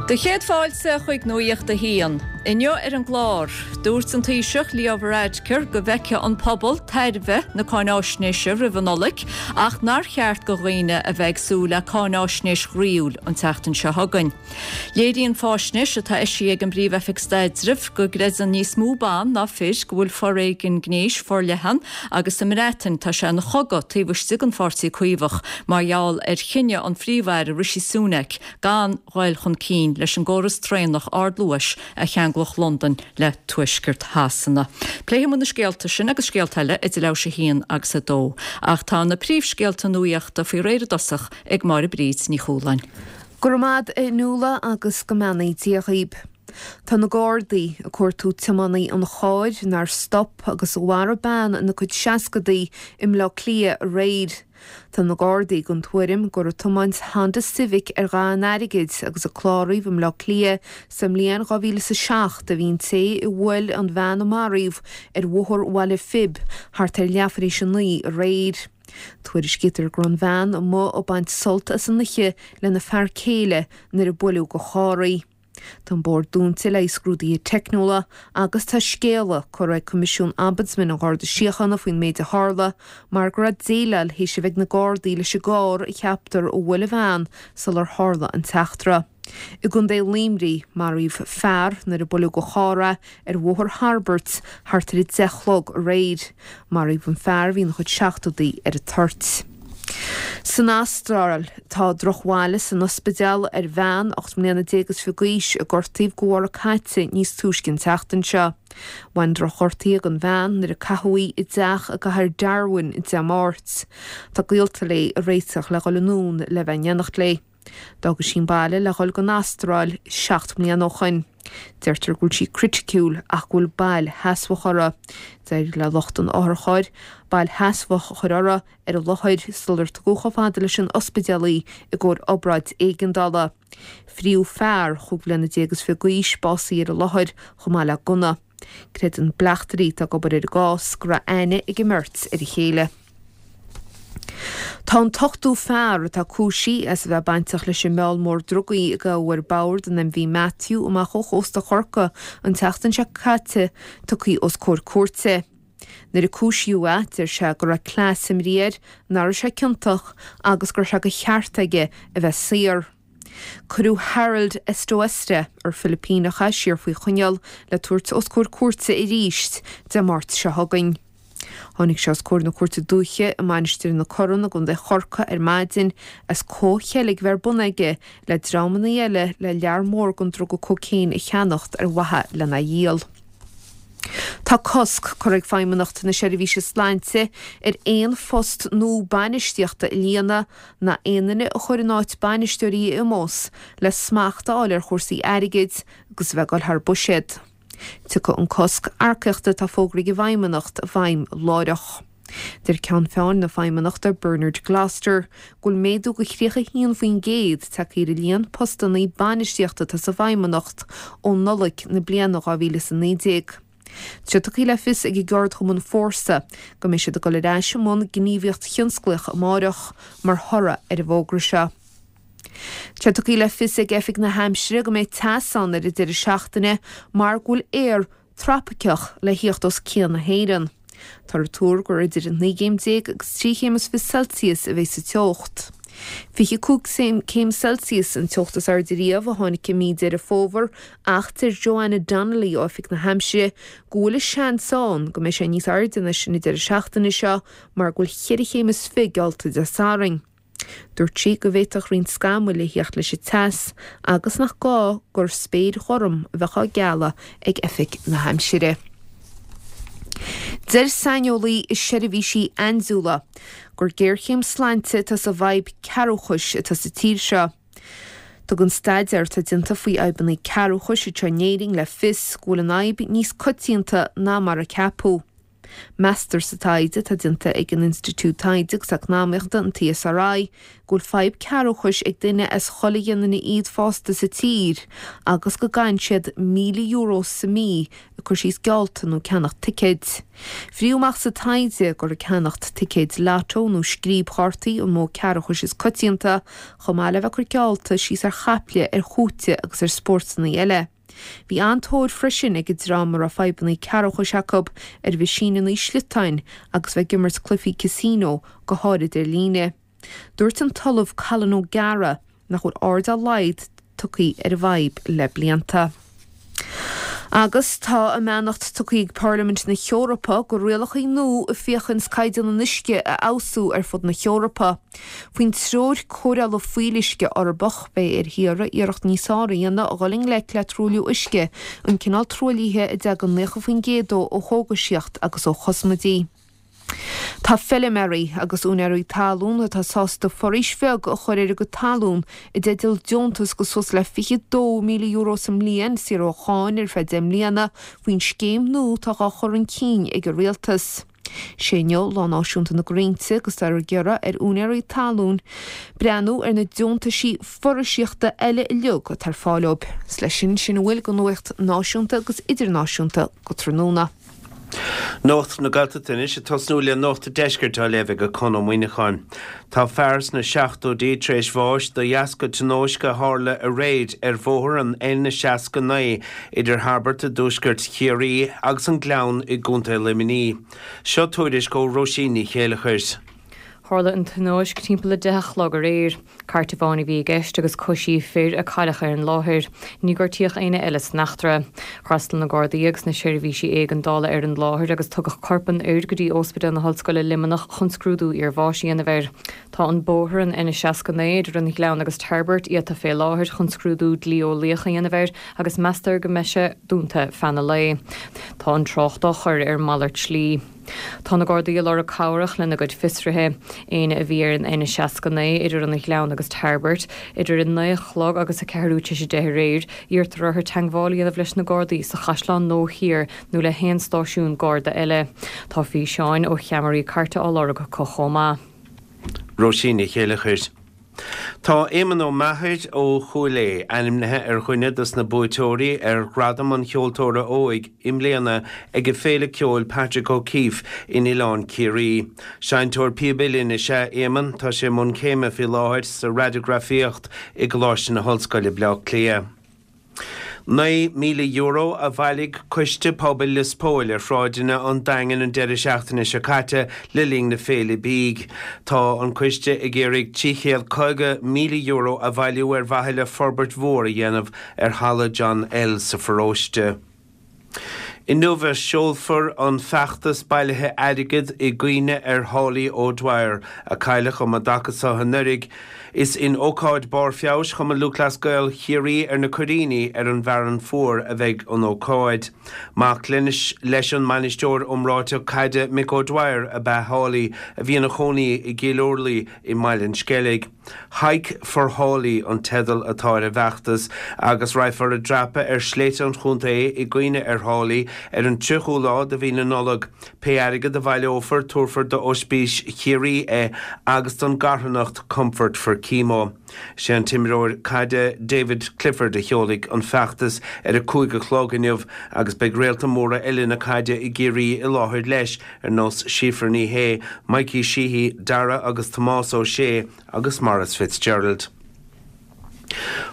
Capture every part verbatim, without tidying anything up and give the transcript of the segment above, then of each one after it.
Do chéad fáilte chuig Nuacht a hAon. Inniu ar an gclár, dúirt an Taoiseach Leo Varadkar go bhfeicfeadh an pobal tairbhe na cáináisnéise roimh an Nollaig ach nár cheart do dhaoine a bheith ag súil le cáináisnéis ghroíúil an tseachtain seo chugainn. Léiríonn faisnéis atá eisithe ag an bPríomh-Oifig Staidrimh go gcreideann níos mó ban ná fir go bhfuil foréigean gnéis forleathan agus sa mBreatain tá sé ina chogadh taobh istigh den Pháirtí Caomhach mar gheall ar chinneadh an Phríomh-Aire Rishi Sunak gan dul chun cinn leis an gcóras traenach ardluais a cheanglódh Londain le tuaisceart Shasana. Pléifidh na scéalta sin agus scéalta eile idir leathuair théis a haon agus a dó, ach tá na príomhscéalta nuachta faoi réir i dtosach ag Máire Bríd Ní Chualáin. Go raibh maith agat a Nuala agus go mbeannaí Dia dhaoib. Tá na Gardaí ag cuartú tiománaí an chairr nár stop agus a mharaigh bean ina cuid seascadaí i mBleá Cliath aréir. Tá na Gardaí den tuairim gur ag tiomáint Honda Civic ar dhath an airgid agus a cláraíodh i mBleá Cliath sa mbliain dhá mhíle is a seacht a bhí an té a bhuail an bhean a maraíodh ar Bhóthar Bhaile Phib thart ar leathuair tar éis a naoi aréir. Tuairiscítear go raibh an bhean amuigh ag baint sult as an oíche lena fear céile nuair a buaileadh de charr í. Tá an bóthar dúnta le scrúduithe teicniúla agus tá scéala curtha ag Coimisiún Ombudsman an Gharda Síochána faoin méid a tharla mar go raibh déileáil théis a bheith ag na Gardaí leis an gcarr a cheaptar a bhuail an bhean sular tharla an t-eachtra. I gContae Luimnigh maraíodh fear nuair a buaileadh de charr é ar Bhóthar Thairbirt thart ar a deich a chlog aréir. Maraíodh an fear a bhí ina chuid seachtóidí ar an toirt. San Astráil tá drochbhail san ospidéal ar bhean ocht mbliana déag is fiche d'aois a gortaíodh de bharr a caite níos túisce an tseachtain seo. Bhain drochghortuithe don bhean nuair a caitheadh í i dteach i gcathair Darwin Dé Máirt. Tá gaolta léi ag réiteach le dhul anonn le bheith in éineacht léi. D'fhág sí an baile le dhul don Astráil seacht mbliana ó shin. Deirtear go bhfuil sí criticiúil ach go bhfuil bail sheasmhach uirthi. D'éirigh le lucht an otharchairr bail sheasmhach a chur uirthi ar an láthair sular tugadh chomh fada leis an ospidéal í i gcomhair obráid éigeandála. Fríodh fear chúig bliana déag is fiche d'aois básaithe ar an láthair chomh maith le gunna. Creideann bleachtairí atá ag obair ar an gcás go raibh aithne ag an mbeirt ar a chéile. Tá an t-ochtú fear atá cúisithe as a bheith bainteach leis an mheall mór drugaí a gabhadh ar bord an MV Matthew amach ó chósta Chorcaí an tseachtain seo caite tugtha os comhair cúirte. Nuair a cúisíodh é, deir sé go raibh cleas imeartha air, nach raibh sé ciontach agus go raibh sé de cheart aige a bheith saor. Cuireadh Harold Estoesta ar Filipíneach é siar faoi choinneáil le tabhairt os comhair cúirte arís Dé Máirt seo chugainn. Tháinig sé os comhair na Cúirte Dúiche i Mainistir na Corann i gContae Chorcaí ar maidin as comhcheilg a bheith ar bun aige le dreamanna eile le lear mór den druga cócaon a cheannacht ar mhaithe lena dhíol. Tá cosc curtha ag Feidhmeannacht na Seirbhíse Sláinte ar aon phost nua bainistíochta a líonadh ná aon duine a chur in áit bainisteoirí a imeos le smacht a fháil ar chúrsaí airgid agus a bheith ag dul thar buiséad. Tiocfaidh an cosc earcaíochta atá fógraithe ag an bhFeidhmeannacht i bhfeidhm láithreach. Deir Ceann Feadhain na Feidhmeannachta Bernard Gloster go bhfuil méadú de thríocha haon faoin gcéad tagtha ar an líon postanna bainistíochta atá sa bhFeidhmeannacht ó Nollaig na bliana dhá mhíle is a naoi déag. Tá sé tugtha le fios ag an gceardchumann Fórsa go mbeidh siad ag dul ar ais i mbun gníomhaíocht thionsclaíoch amárach mar thoradh ar an bhfógra seo. Tá sé tugtha le fios ag Oifig na hAimsire go mbeidh teas ann ar an deireadh seachtaine mar go bhfuil aer tropaiceach le thíocht os cionn na hÉireann. Táthar ag tuar gur idir naoi gcéim déag agus trí chéim is fiche Celsius a bheidh sa teocht. Fiche cúig céim Celsius an teocht is airde riamh a tháinig i mí Deireadh Fómhair ach deir Joanna Donnelly ó Oifig na hAimsire go bhfuil seans ann go mbeidh sé níos airde ná sin an deireadh seachtaine seo mar go bhfuil ceithre chéim is fiche geallta Dé Sathairn. Dúirt sí go bhféadfadh roinnt scamaill a theacht leis an teas agus nach gá gur spéir ghorm a bheadh á gealladh ag Oifig na hAimsire. Deir saineolaí i seirbhísí aindiúla gur géarchéim sláinte atá sa bhfadhb cearrbhachais atá sa tír seo. Tugann staidéar atá déanta faoi fhadhbanna cearrbhachais anseo in Éirinn le fios go bhfuil an fhadhb níos coitianta ná mar a ceapadh. Meastar sa taighde atá déanta ag an Institiúid Taighde agus Eacnamaíochta an ESRI go bhfuil fadhb cearrbhachais ag duine as chuile dhuine iad fásta sa tír agus go gcaitheann siad míle euro sa mí ag cur síos geallta nó ceannacht ticéid. Faightear amach sa taighde gur ag ceannacht ticéid lotto nó scríobchártaí an modh cearrbhachais is coitianta chomh maith le bheith ag cur geallta síos ar chaiple ar chúite agus ar spórtanna eile. Bhí an-tóir freisin ag an dream a raibh fadhbanna cearrbhachais acu ar mheaisíneanna sliotáin agus bheith ag imirt cluichí casino go háirid ar líne. Dúirt an tOllamh Colin O'Gara nach bhfuil aird dá laghad tugtha ar an bhfadhb le blianta. Agus tá a mbeannacht tugtha ag Parlaimint na hEorpa do rialacha nua a fhéachanns caighdeán an uisce a fheabhsú ar fud na hEorpa. Faoin treoir cóireála fuíolluisce Eorpach beidh ar thíortha iarracht níos fearr a dhéanamh a dhul i ngleic le truailliú uisce, an cineál truaillithe a dtagann naocha faoin gcéad dó ó chógaisíocht agus ó chosmaidí. Tá feilméaraí agus úinéirí talún atá sásta foraois bheag a chur ar a gcuid talún i dteideal deontas de suas le fiche dó míle euro sa mbliain saor ó cháin ar feadh deich mbliana faoin scéim nua atá á chur chun cinn ag an rialtas. Is é inniu Lá Náisiúnta na gCrainnte agus táthar ag iarraidh ar úinéirí talún breathnú ar na deontaisí foraoiseachta eile uilig atá ar fáil dóibh. Is leis sin sin a bhfuil de nuacht náisiúnta agus idirnáisiúnta go tráthnóna. Nuacht na Gaeltachta anois ag tosnú le Nuacht an Deiscirt á léamh ag Conn Ó Muíneacháin. Tá fear sna seachtóidí tar éis bháis de dheasca tionóisc a tharla aréir ar bhóthar an N seasca naoi idir Tarbert i dtuaisceart Chiarraí agus an Gleann i gContae Luimnigh. Seo tuairisc ó Róisín Ní Chéileachair. Tharla an tionóisc timpeall a deich a chlog aréir. Cairt amháin a bhí i gceist agus coisíodh fir a cailleadh ar an láthair. Níor gortaíodh éinne eile san eachtra. D'fhreastail na Gardaí agus na seirbhísí éigeandála ar an láthair agus tugadh corp an fhir go dtí Ospidéal na hOllscoile Luimneach chun scrúdú iarbháis a dhéanamh air. Tá an bóthar an N seasca naoi idir an Gleann agus Tarbert iata fé láthair chun scrúdú dlí-eolaíoch a dhéanamh air agus meastar go mbeidh sé dúnta feadh an lae. Tá an trácht á chur ar malairt slí. Tá na Gardaí ag lorg cabhrach lena gcuid fiosruithe. Éinne a bhí ar an N seasca naoi idir an Ghleann agus Tarbert, idir a naoi a chlog agus a ceathrú tar éis a deich aréir, iarrtar orthu teagmháil a dhéanamh leis na Gardaí sa Chaisleán Nua Thiar nó le haon stáisiún Garda eile. Tá físeáin ó cheamaraí cairte á lorg acu chomh maith. Róisín Ní Chéileachair. Tá Éamonn Ó Meachair ó Chúil Aodha ainmnithe ar dhuine dos na buaiteoirí ar Ghradam an Cheoltóra Óig i mbliana ag an Féile Ceoil Patrick O'Keeffe in Oileán Ciarraí. Seinnteoir píob uilleann is ea Éamonn, tá sé i mbun céime faoi láthair sa raidigrafaíocht i gColáiste na hOllscoile Bleá Cliath. Naoi míle euro a bhailigh Coiste Pobail Lios Póil ar shráideanna an Daingin an deireadh seachtaine seo caite le linn na féile bídh. Tá an coiste ag iarraidh trí chéad caoga míle euro a bhailiú ar mhaithe le forbairt mhór a dhéanamh ar Halla John L sa pharóiste. Inniu a seolfar an feachtas bailithe airgid i gcuimhne ar Holly O'Dwyer, a cailleadh um an dtaca seo anuraidh. Is in ócáid Barr Feabhais Chumann Lúthchleas Gael Chiarraí ar na Coiríní ar an bhFearann Fuar a bheidh an ócáid. Mac leis leis an mbainisteoir iomráiteach caide Mick O'Dwyer ab ea Holly a bhí ina chónaí i gCill Orlaí i mBaile an Sceilg. Hike for Holly an teideal atá ar an bhfeachtas agus rachfar ag dreapadh ar shléibhte an chontae i gcuimhne ar Holly ar an tríochú lá de mhí na Nollag. Pé airgead a bhaileofar tabharfar d'Ospís Chiarraí é agus don gcarthanacht Comfort for Chemo. Sé an t-imreoir caide David Clifford a sheolfaidh an feachtas ar a cúig a chlog inniu agus beidh réalta móra eile na caide i gCiarraí i láthair leis ar nós Síofra Ní Shé, Mikey Sheehy, Dara agus Tomás Ó Sé agus Maurice Fitzgerald.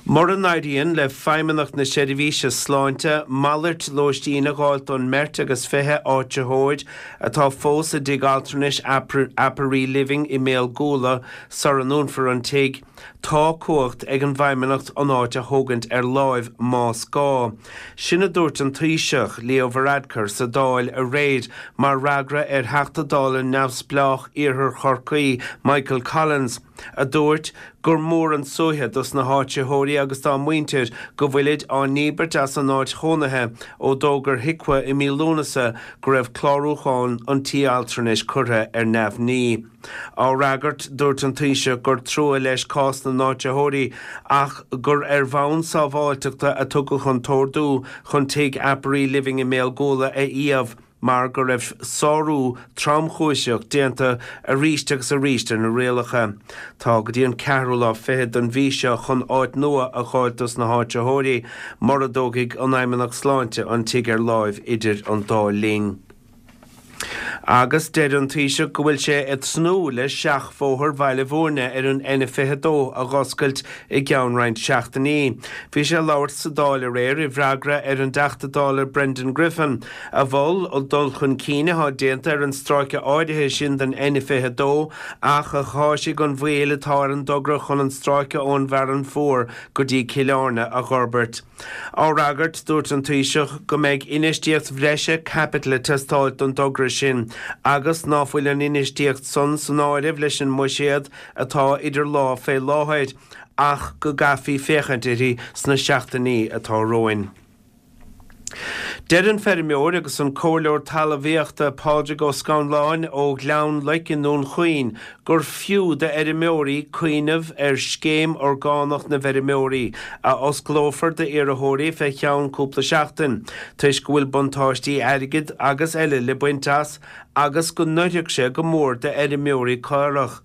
Mura n-éiríonn le Feidhmeannacht na Seirbhíse Sláinte malairt lóistín a fháil don mbeirt agus fiche áitritheoir atá fós i dtigh altranais Aperee Living i mBéal Guala sara ndúnfar an tigh, tá cumhacht ag an bhFeidhmeannacht an áit a thógaint ar láimh más gá. Sin a dúirt an Taoiseach Leo Varadkar sa Dáil aréir mar fhreagra ar Theachta Dála neamhspleách Iarthar Chorcaí Michael Collins, a dúirt gur mór an suaitheadh dos na háitritheoirí agus dá muintir go bhfuilid á ndíbirt as an áit chónaithe ó d'fhógair HIQA i mí Lúnasa go raibh clárúchán an tí altranais curtha ar neamhní. Á fhreagairt dúirt an Taoiseach gur trua leis cás na n-áitritheoirí ach gur ar bhonn sábháilteachta a tugadh an t-ordú chun tigh Aperee Living i mBéal Guala a iamh. mar go raibh sárú tromchúiseach déanta arís agus arís ar na rialacha. Tá go dtí an ceathrú lá fichead den mhí seo chun áit nua a fháil dos na háitritheoirí, mura dtógfaidh an Fheidhmeannacht Sláinte an tigh ar láimh idir an dá linn. Agus deir an Taoiseach go bhfuil sé ag tnúth le seachbhóthar Bhaile Bhúirne ar an N fiche dó a dh'oscailt i gceann roinnt seachtainí. Bhí sé ag labhairt sa Dáil aréir i bhfreagra ar an dTeachta Dála Brendan Griffin, a mhol an dul chun cinn atá déanta ar an stráice áirithe sin den N fiche dó ach a cháisigh an mhoill atá ar an dtogra chun an stráice ón bhFearann Fuar go dtí Cill Airne a dh'fhorbairt. Á fhreagairt, dúirt an Taoiseach go mbeidh infheistíocht bhreise caipitil ag teastáil don dtogra sin agus ná fuil an infheistíocht san san áireamh leis an mbuiséad atá idir lámha fé láthair ach go gcaithfí féachaint uirthi sna seachtainí atá romhainn. Deir an feirmeoir agus an comhairleoir talmhaíochta Pádraig Ó Scanláin ó Ghleann Loic i nDún Chaoin gur fiú d'fheirmeoirí cuimhneamh ar Scéim Orgánach na bhFeirmeoirí, a osclófar d'iarrthóirí fé cheann cúpla seachtain, toisc go bhfuil buntáistí airgid agus eile le baint as agus go n-oirfeadh sé go mór d'fheirmeoirí caorach.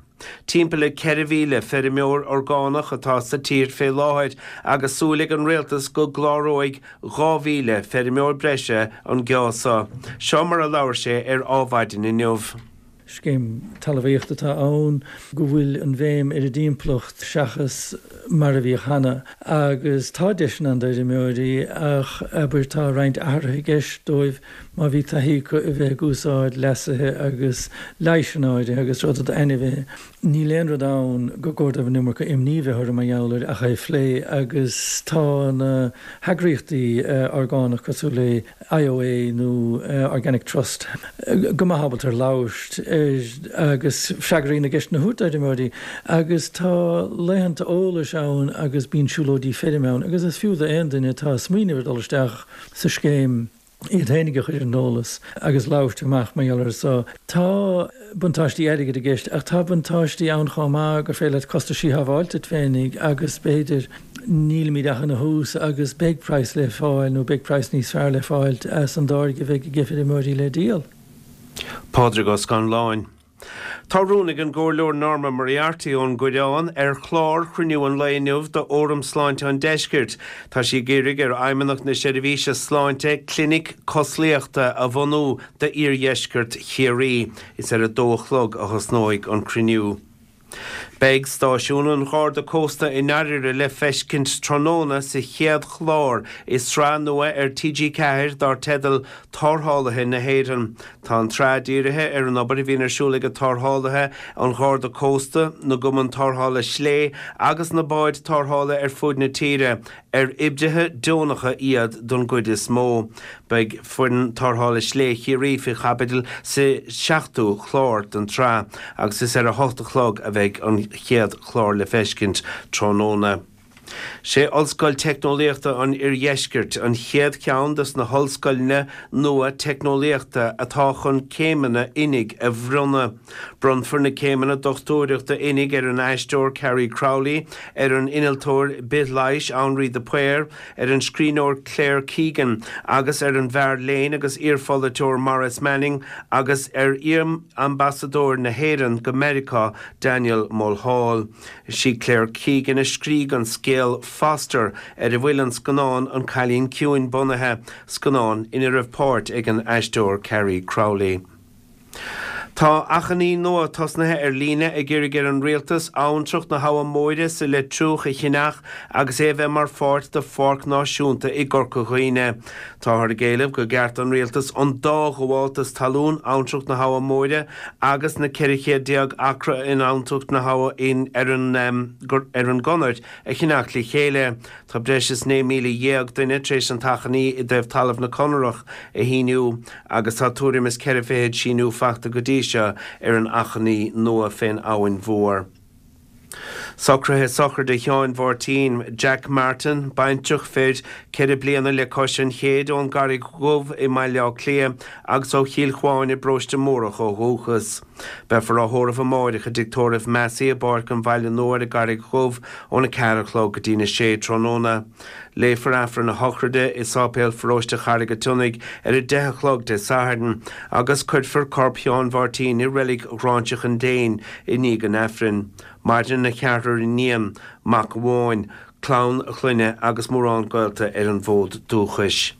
Timpeall le ceithre mhíle feirmeoir orgánach atá sa tír fé láthair agus súil ag an rialtas go gcláróidh dhá mhíle feirmeoir breise an geábh seo. Seo mar a labhair sé ar Adhmhaidin inniu. Scéim talmhaíochta atá ann go bhfuil an bhéim ar an dtimpeallacht seachas mar a bhíodh cheana agus tá deiseanna ann d'fheirmeoirí ach abair tá roinnt athruithe i gceist dóibh má bhí taithí acu a bheith ag úsáid leasuithe agus leigheasanna áirithe agus rudaí d'ainmhithe. Níl aon rud ann gur cóir dóibh an iomarca imní bheith orthu mar gheall air ach é a phlé agus tá na heagraíochtaí orgánach cosúil le I O A nó Organic Trust go maith ábalta ar labhairt ar agus freagraí na gceisteanna a thabhairt d'fheirmeoirí agus tá laethanta eolais ann agus bíonn siúlóidí feirme ann agus is fiú d'aon duine atá ag smaoineamh ar dul isteach sa scéim iad féinig a chur ar an eolas agus labhairt amach mar gheall air so. Tá buntáistí airgid i gceist ach tá buntáistí ann chomh maith gur féidir leat costais a shábháil duit féinig agus b'fhéidir nílimid ach ina thús agus beidh praghas le fáil nó beidh praghas níos fearr le fáil as an dtáirge a bheidh ag feirmeoirí le díol. Pádraig Ó Scanláin. Tá rún ag an gComhairleoir Norma Moriarty ón gCoireán ar chlár chruinniú an lae inniu d'Fhóram Sláinte an Deiscirt. Tá sí ag iarraidh ar Fheidhmeannacht na Seirbhíse Sláinte clinic cosliachta a bhunú d'iardheisceart Chiarraí. Is ar a dó a chlog a thosnóidh an cruinniú. Beidh stáisiún an Gharda Cósta i nDairire le feiscint tráthnóna sa chéad chlár i sraith nua ar T G Ceathair dar teideal Tarrthálaithe na hÉireann. Tá an tsraith dírithe ar an obair a bhíonn ar siúl ag tarrthálaithe an Gharda Cósta, na gcumann tarrthála slé agus na báid tarrthála ar fud na tíre, ar oibrithe deonacha iad don gcuid is mó. Beidh foireann tarrthála slé Chiarraí faoi chaibidil sa seachtú chlár den tsraith, agus is ar a hocht a chlog a bheidh an chéad chlár le feiscint tráthnóna. Sé Ollscoil Teicneolaíochta an Iardheiscirt an chéad cheann des na hollscoileanna nua teicneolaíochta atá chun céimeanna oinigh a bhronnadh. Bronnfar na céimeanna dochtúireachta oinigh ar an aisteoir Carrie Crowley, ar an innealtóir bithleighis Henri de Paor, ar an scríbhneoir Claire Keegan agus ar an bhfear léinn agus iarpholaiteoir Maurice Manning agus ar iar-ambasadóir na hÉireann go Meiriceá Daniel Mulhall. Sí Claire Keegan a scrígh an scéal Foster ar a bhfuil an scannán An Cailín Ciúin bunaithe, scannán ina raibh páirt ag an aisteoir Carrie Crowley. Tá achainí nua tosnaithe ar líne ag iarraidh ar an rialtas abhantrach na hAbha Móire sa Leitriúch a cheannach agus é a bheith mar pháirt de Pháirc Náisiúnta i gCorca Dhuibhne. Táthar ag éileamh gur cheart an rialtas an dá ghabháltas talún abhantrach na hAbha Móire agus na ceithre chéad déag acra in abhantrach na hAbha in ar an um, ar an gConair a cheannach le chéile. Tá breis is naoi míle dhéag duine tar éis an t-achainí i dtaobh talamh na Conarach a shíniú agus tá tuairim is ceithre fichid síniú faighte go dtí seo ar an achainí nua fén Abhainn Mhór. Socruithe sochraide Sheáin Mháirtín, Jack Martin, baintreach fir, ceithre bliana le cois an chéid ón gCarraig Dhubh i mBaile Átha Cliath agus ó Chill Chuáin i bparóiste Mórdhach ó dhúchas. Beifear á thórramh amáireach i dTigh Tórraimh Massey i bPáirc an Bhaile Nua ar an gCarraig Dhubh óna ceathair a chlog go dtína sé tráthnóna. Léifear Aifreann a shochraide i Sáipéal Pharóiste Charraig an tSionnaigh ar a deich a chlog Dé Sathairn agus cuirfear corp Sheáin Mháirtín i Reilig Ghráinseach an Déin i ndiaidh an Aifrinn. Maireann a cheathrar iníon, mac amháin, clann a chlainne agus mórán gaolta ar an bhfód dúchais.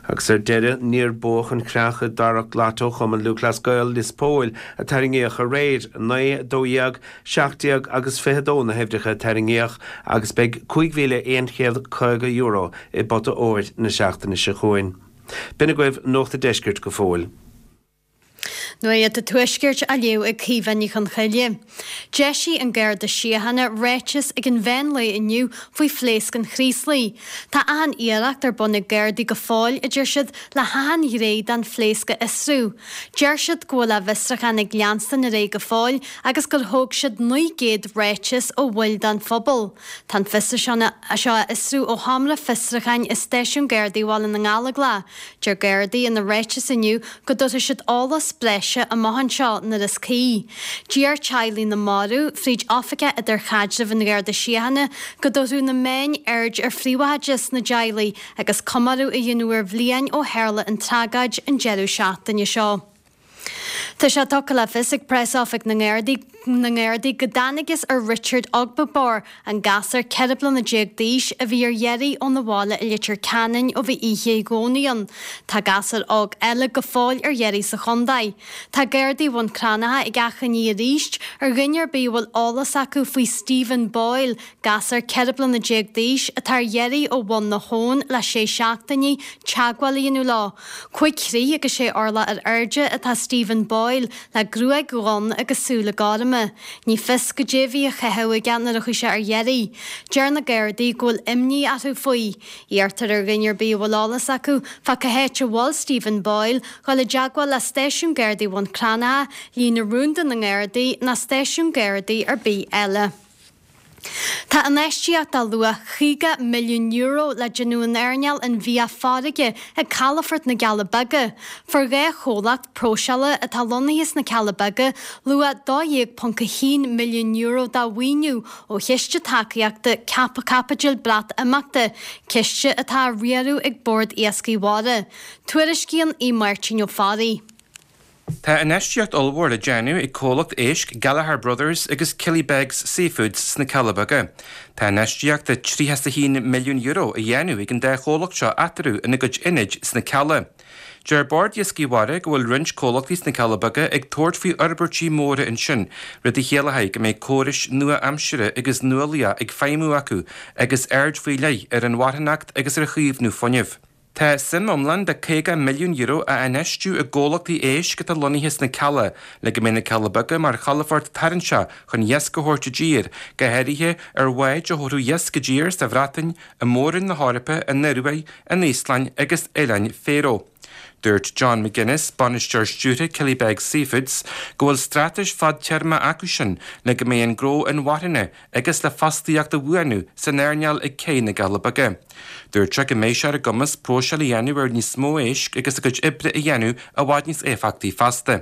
Agus ar deireadh, níor buadh an chreach i dtarrac Lotto Chumann Lúthchleas Gael Lios Póil a tarraingíodh aréir, naoi, dó dhéag, seacht déag agus fiche dó na huimhreacha a tarraingíodh agus beidh cúig mhíle aon chéad caoga euro i bpota óir na seachtaine seo chugainn. B'in agaibh Nuacht an Deiscirt go fóill. Nuacht an Tuaiscirt á léamh ag Caoimhe Ní Chonchoille. D'eisigh an Garda Síochána ráiteas ag an mheán lae inniu faoi phléasc an Chraoslaigh. Tá achan iarracht ar bun ag Gardaí go fóill, a deir siad, le hachan ghné den phléasc a fhiosrú. Deir siad go bhfuil a bhfiosrúchán ag leanstan ar aghaidh go fóill agus gur thóg siad naoi gcéad ráiteas ó bhaill den phobal. Tá an fiosrúchán seo á fhiosrú ó sheomra fiosrúcháin i Stáisiún Gardaí Bhaile na nGallóglach. Deir Gardaí ina ráiteas inniu go dtabharfaidh siad eolas breise amach anseo nuair is cuí. D'iarr teaghlaigh na marbh, fríd Oifigeach Idirchaidrimh an Gharda Síochána, go dtabharfadh na meáin aird ar phríobháideachas na dteaghlaigh agus comóradh a dhéanamh ar bhliain ó tharla an tragóid an deireadh seachtaine seo. Tá sé tugtha le fios ag Preas-Oifig na nGardaí na nGardaí go dtángthas ar Richard Ogbebor, an gasúr ceithre bliana déag d'aois a bhí ar iarraidh óna bhaile i Leitir Ceanainn ó bhí oíche Dhomhnaigh ann. Tá gasúr óg eile go fóill ar iarraidh sa chontae. Tá Gardaí Bhun Cranncha ag achainí arís ar dhuine ar bith a bhfuil eolas acu faoi Stephen Boyle, gasúr ceithre bliana déag d'aois atá ar iarraidh ó Bhun na hAbhann le sé seachtainí, teagmháil a dhéanamh leo. Cúig throigh agus sé orlach ar airde atá Stephen Boyle, le gruaig dhonn agus súile gorma. Ní fios goidé a bhí á chaitheamh aige nuair a chuaigh sé ar iarraidh. Deir na Gardaí go bhfuil imní orthu faoi. Iarrtar ar dhuine ar bith a bhfuil eolas acu fá cá háit a bhfuil Stephen Boyle dhul i dteagmháil le Stáisiún Gardaí Bhun Cranncha, líne rúnda na nGardaí ná stáisiún Gardaí ar bith eile. Tá infheistíocht de luach caoga milliún euro le déanamh in earnáil an bhia farraige ag Calafort na gCealla Beaga. Fuair dhá chomhlacht próiseála atá lonnaithe sna Cealla Beaga luach dó dhéag ponc a haon milliún euro de mhaoiniú ó Chiste Tacaíochta Caipitil Breatimeachta, ciste atá á riaradh ag Bord Iascaigh Mhara. Tuairiscíonn Aodh Máirtín Ó Fearraigh. Tá infheistíocht ollmhór le déanamh ag comhlacht éisc Gallagher Brothers agus Killybegs Seafoods sna Cealla Beaga. Tá infheistíocht de tríocha is a haon milliún euro á dhéanamh ag an dá chomhlacht seo eatarthu ina gcuid ionaid sna Cealla. Deir Bord Iascaigh Mhara go bhfuil roinnt comhlachtaí sna Cealla Beaga ag tabhairt faoi fhorbairtí móra ansin, rud a chiallóidh go mbeidh córais nua-aimsire agus nuálaíoch ag feidhmiú acu agus aird faoi leith ar an mharthanacht agus ar chaomhnú fuinnimh. Tá suim iomlán de caoga milliún euro á infheistiú i gcomhlachtaí éisc atá lonnaithe sna Cealla le go mbeidh na Cealla Beaga mar chalafort tarraingteach chun iasc a thabhairt i dtír, go háirithe ar bháid a thabharfadh iasc i dtír sa Bhreatain, i Mór-Roinn na hEorpa, an Ioruaidh, an Íoslainn agus Oileáin Faeró. Dúirt John McGuinness, bainisteoir stiúrtha Killybegs Seafoods, go bhfuil straitéis fadtéarma acusan le go mbeidh an gnó inmharthana agus le fostaíocht a bhuanú san earnáil ag Cé na gCealla Beaga. Dúirt sé go mbeidh sé ar a gcumas próiseáil a dhéanamh ar níos mó éisc agus a gcuid oibre a dhéanamh i bhfad níos éifeachtaí feasta.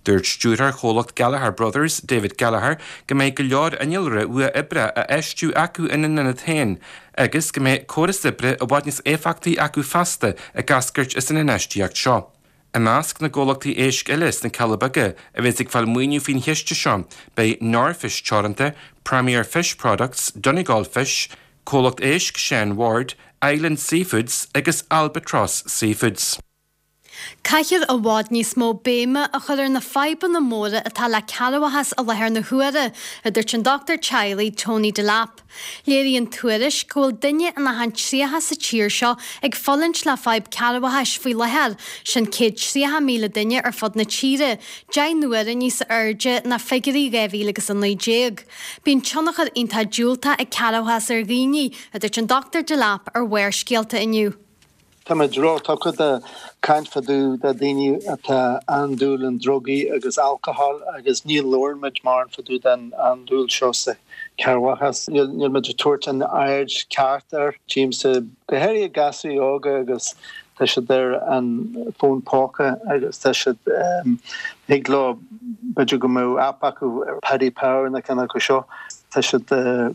Dúirt stiúrthóir chomhlacht Gallagher Brothers, David Gallagher, go mbeidh go leor innealra uathoibrithe á fheistiú acu ina n-ionad féin agus go mbeidh córas oibre i bhfad níos éifeachtaí acu feasta ag eascairt as an infheistíocht seo. I measc na gcomhlachtaí éisc eile sna Cealla Beaga a bheas ag fáil maoiniú faoin chiste seo beidh Norfish Teoranta, Premier Fish Products, Donegal Fish, Comhlacht Éisc Sean Ward, Island Seafoods agus Albatross Seafoods. Caithfear i bhfad níos mó béime a chur ar na fadhbanna móra atá le cearrbhachas i láthair na huaire, a dúirt an dochtúir teaghlaigh Tony Delap. Léiríonn tuairisc go bhfuil duine in achan tríocha sa tír seo ag fulaingt le fadhb cearrbhachais faoi láthair, sin céad tríocha míle duine ar fud na tíre, deich n-uaire níos airde ná figiúirí dhá mhíle agus a naoi déag. Bíonn tionchar iontach diúltach ag cearrbhachas ar dhaoine, a dúirt an Dochtúir Delap ar Bharrscéalta inniu. Tá muid róthugtha do caint fá dtaobh de daoine atá andúil in drugaí agus alcohol agus ní labhrann muid mórán fá dtaobh den andúil seo sa Cearrbhachas. Níl muid ag tabhairt an aird ceart air. Tchímse go háirithe gasúir óga agus tá siad ar an bhfón póca agus tá siad thig leo b'fhéidir go mbeadh app acu ar Paddy Power na ceann acu seo. Tá siad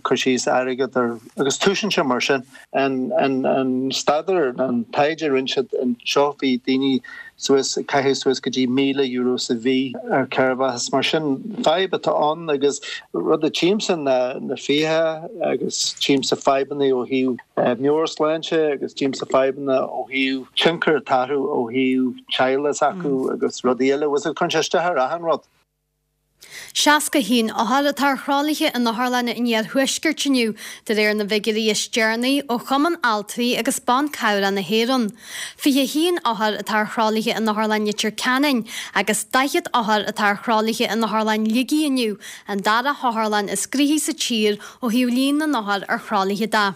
cur síos airgead ar agus tosaíonn sé mar sin. An an an staidéar an taighde a rinne siad anseo bhí daoine suas ag caitheamh suas go dtí míle euro sa mhí ar chearrbhachas. Mar sin fadhb atá ann agus rud a tchímse ná na fiacha agus tchímse fadhbanna ó thaobh meabhairshláinte agus tchímse fadhbanna ó thaobh tionchar atá orthu ó thaobh teaghlaigh s'acu agus rudaí eile. Bhuel, cuireann sé isteach ar achan rud. seasca a haon othar atá ar thralaithe in otharlanna an iarthuaiscirt inniu, de réir na bhfigiúirí is deireanaí ó Chumann Altraí agus Ban Cabhrach na hÉireann. fiche a haon othar atá ar thralaithe in Otharlann Leitir Ceanainn agus daichead othar atá ar thralaithe in Otharlann Shligigh inniu, an dara hotharlann is gnoithí sa tír ó thaobh líon na n-othar ar thralaithe de.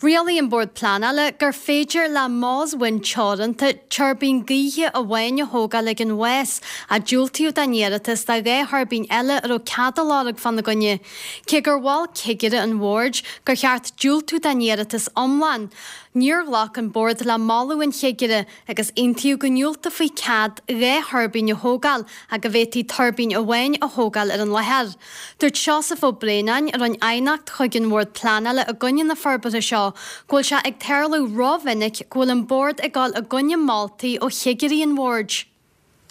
Rialaigh an Bord Pleanála gur féidir le Moss Wind Teoranta tuirbín gaoithe amháin a thógáil ag an Mhás, ach diúltaíodh don iarratas do dhá thuirbín eile a raibh cead á lorg fána gcoinne. Cé gur mhol cigire an bhoird gur cheart diúltú don iarratas iomlán, níor ghlac an Bord le moladh an chigire agus aontaíodh go ndiúltófaí cead dhá thuirbín a thógáil ach go bhféadfaí tuirbín amháin a thógáil ar an láthair. Dúirt Seosamh Ó Braonáin, a rinne aighneacht chuig an Bhord Pleanála i gcoinne na forbartha seo, go bhfuil sé ag tarlú rómhinic go bhfuil an Bord ag dul i gcoinne moltaí ó chigirí an bhoird.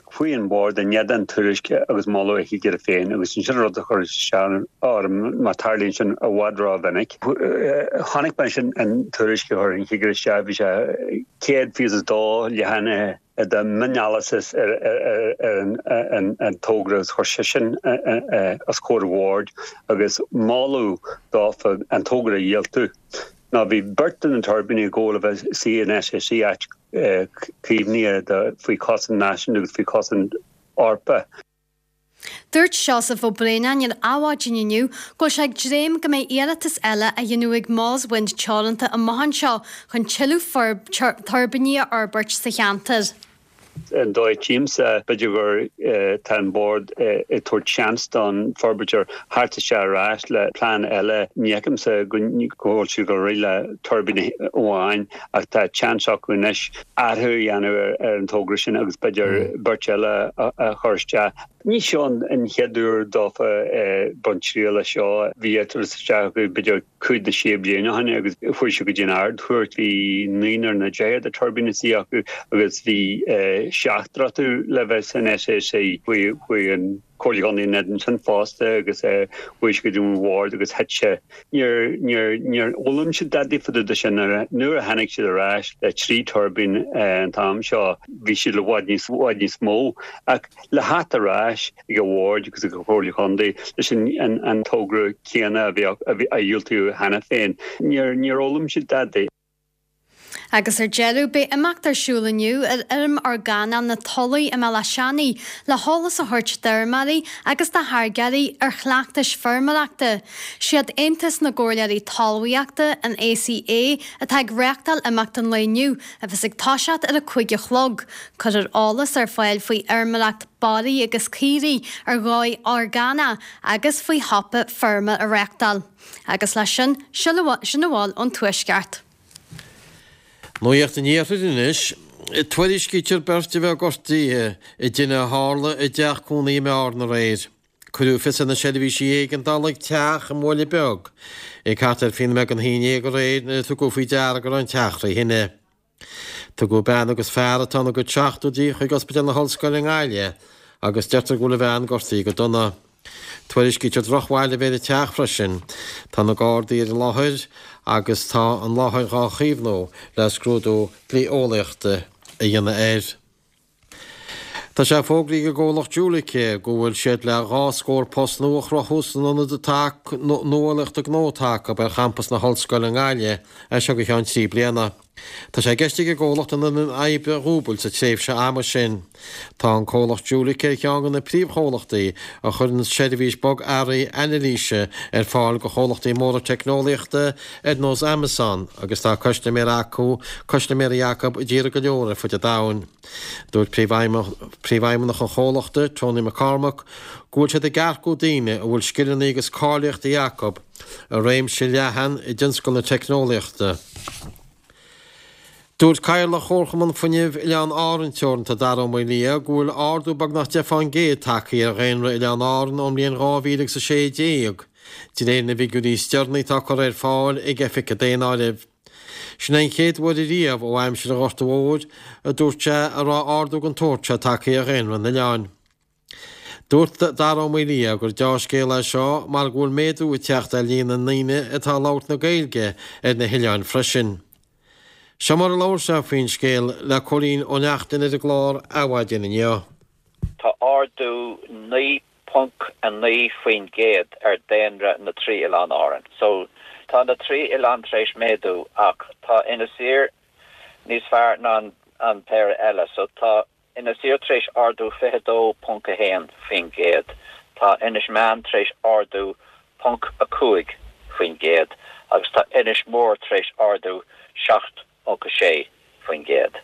Chuaigh an Bord in éadan tuairisc agus moladh a chigire féin agus sin rud a chuir isteach orm mar tarlaíonn sin i bhfad rómhinic. Chonaic mé sin an tuairisc a chuir an cigire isteach, bhí sé céad fiche is dó leathanach de mhioneolas ar an togra agus chuir sé sin os comhair an bhoird agus moladh dófa an togra a dhiúltú. Ná bhí beirt de na tuirbíní ag gabháil a bheith istigh in S A C, áit caomhnaithe faoi chosaint náisiúnta agus faoi chosaint Eorpach. Dúirt Seosamh Ó Braonáin ar Adhmhaidin inniu go bhfuil sé ag dréim go mbeidh iarratas eile á dhéanamh ag Moss Wind Teoranta amach anseo chun tuilleadh tuirbíní a fhorbairt sa cheantar. An dóigh a tchímse, b'fhéidir gur tá an Bord ag tabhairt seans don fhorbróir theacht isteach ar ais le plean eile. Ní fheicimse go bhfuil siad ag rith le tuirbín amháin ach tá seans acu anois athrú a dhéanamh ar an togra sin agus b'fhéidir beirt eile a chur isteach. Ní seo an chéad uair dófa baint triail as seo. Bhí iarratas isteach acu b'fhéidir cúig nó sé bliana ó shin agus chuaigh sé go dtí an Ard-Chúirt. Bhí naonúr nó deichniúr de tuirbíní istigh acu agus bhí seachtar acu le bheith san S A C. Chuaigh an Chomhairle Contae in éadan sin fosta agus chuaigh sé go dtí an Bhord agus thit sé. Níor níor níor fhoghlaim siad dadaí fá dtaobh de sin. Nuair a tháinig siad ar ais le trí tuirbín an t-am seo bhí siad i bhfad níos bhfad níos mó ach le theacht ar ais ag an Bhord agus ag an Chomhairle Contae leis an an togra céanna a bhí a dhiúltaíodh cheana féin. Níor níor fhoghlaim siad dadaí. Agus ar deireadh, beidh imeacht ar siúl inniu ar fheirm orgánach na Tulaí i mBealach Seanaidh le heolas a thabhairt d'fheirmeoirí agus do tháirgeoirí ar chleachtais feirmeoireachta. Siad Aontas na gComhairleoirí Talmhaíochta, an A C A, atá ag reáchtáil imeacht an lae inniu, a bheas ag toiseacht ar a cúig a chlog. Cuirfear eolas ar fáil faoi fheirmeoireacht barraí agus caoirigh ar dhóigh orgánach agus faoi shiopa feirme a reáchtáil. Agus leis sin, sin a bhfuil ón Tuaisceart. Nuacht an Iarthair anois, tuairiscítear beirt a bheith gortaithe i dtine a tharla i dteach cónaí i mBearna aréir. Cuireadh fios ar na seirbhísí éigeandála ag teach i mBaile Beag ag thart ar fiche nóiméad don haon déag aréir nuair a tugadh faoi deara go raibh an teach trí thine. Tugadh bean agus fear atá ina gcuid seachtóidí chuig Ospidéal na hOllscoile i nGaillimh agus deirtear go bhfuil an bhean gortaithe go dona. Tuairiscítear drochbhail a bheith ar an teach freisin. Tá na Gardaí ar an láthair agus tá an láthair á caomhnú le scrúdú dlí-eolaíochta a dhéanamh air. Tá sé fógraithe ag an gcomhlacht Jülich go bhfuil siad le dhá scór post nua a chruthú san ionad atá nuálaíochta gnó atá acu ar champas na hOllscoile i nGaillimh as seo go ceann trí bliana. Tá sé i gceist ag an gcomhlacht an fhoireann oibre a dhúbailt sa tréimhse ama sin. Tá an comhlacht Jülich ar cheann de na príomhchomhlachtaí a chuireann seirbhís bogearraí anailíse ar fáil do chomhlachtaí móra teicneolaíochta ar nós Amazon agus tá custaiméirí acu custaiméirí acu i dtíortha go leor ar fud an domhain. Dúirt príomhfheidhmeannach an chomhlachta, Tony McCormack, go bhfuil siad ag earcú daoine a bhfuil scileanna agus cáilíochtaí acu i réimse leathan i dtionscal na teicneolaíochta. Dúirt Cathaoirleach Chomharchumann Fuinnimh Oileáin Árann Teoranta Dara Ó Maolaodha go bhfuil ardú beagnach deich fán gcéad tagtha ar dhaonra Oileáin Árann ón mbliain dhá mhíle agus a sé déag, de réir na bhfigiúirí is deireanaí atá curtha ar fáil ag Oifig an Daonáirimh. Sin é an chéad uair ariamh ó aimsir an Ghorta Mhóir, a dúirt sé, a raibh ardú den tsórt seo tagtha ar dhaonra an oileáin. Dúirt Dara Ó Maolaodha gur deá-scéal é seo mar go bhfuil méadú ag teacht ar líon na ndaoine atá ag labhairt na Gaeilge ar na hoileáin freisin. Seo mar a labhair sé faoin scéal le Cóilín Ó Neachtain ar an gclár Adhmhaidin inniu. Tá ardú naoi ponc a naoi faoin gcéad ar daonra na trí oileán Árann. So, tá na trí oileán tar éis méadú ach tá Inis Oírr níos fearr ná an péire eile. So, tá Inis Oírr tar éis ardú fiche dó ponc a haon faoin gcéad, tá Inis Meáin tar éis ardú ponc a cúig faoin gcéad agus tá Inis Mór tar éis ardú seacht ponc a sé faoin gcéad.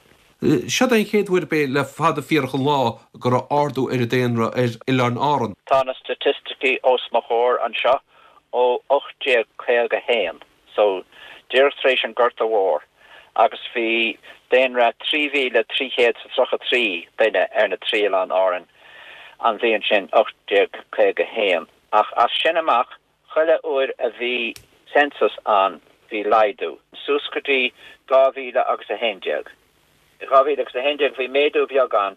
Seo é an chéad uair ab é le fada fíorach an lá go raibh ardú ar an daonra ar Oileáin Árann. Tá na staitisticí os mo chomhair anseo ó ocht déag caoga a haon, so díreach tar éis an Ghorta Mhór, agus bhí daonra trí mhíle trí chéad is a tríocha trí duine ar na trí Oileán Árann an bhliain sin, ocht déag caoga a haon. Ach as sin amach, chuile uair a bhí census ann, bhí laghdú, suas go dtí dhá mhíle agus a haon déag. I dhá mhíle agus a haon déag bhí méadú beag ann,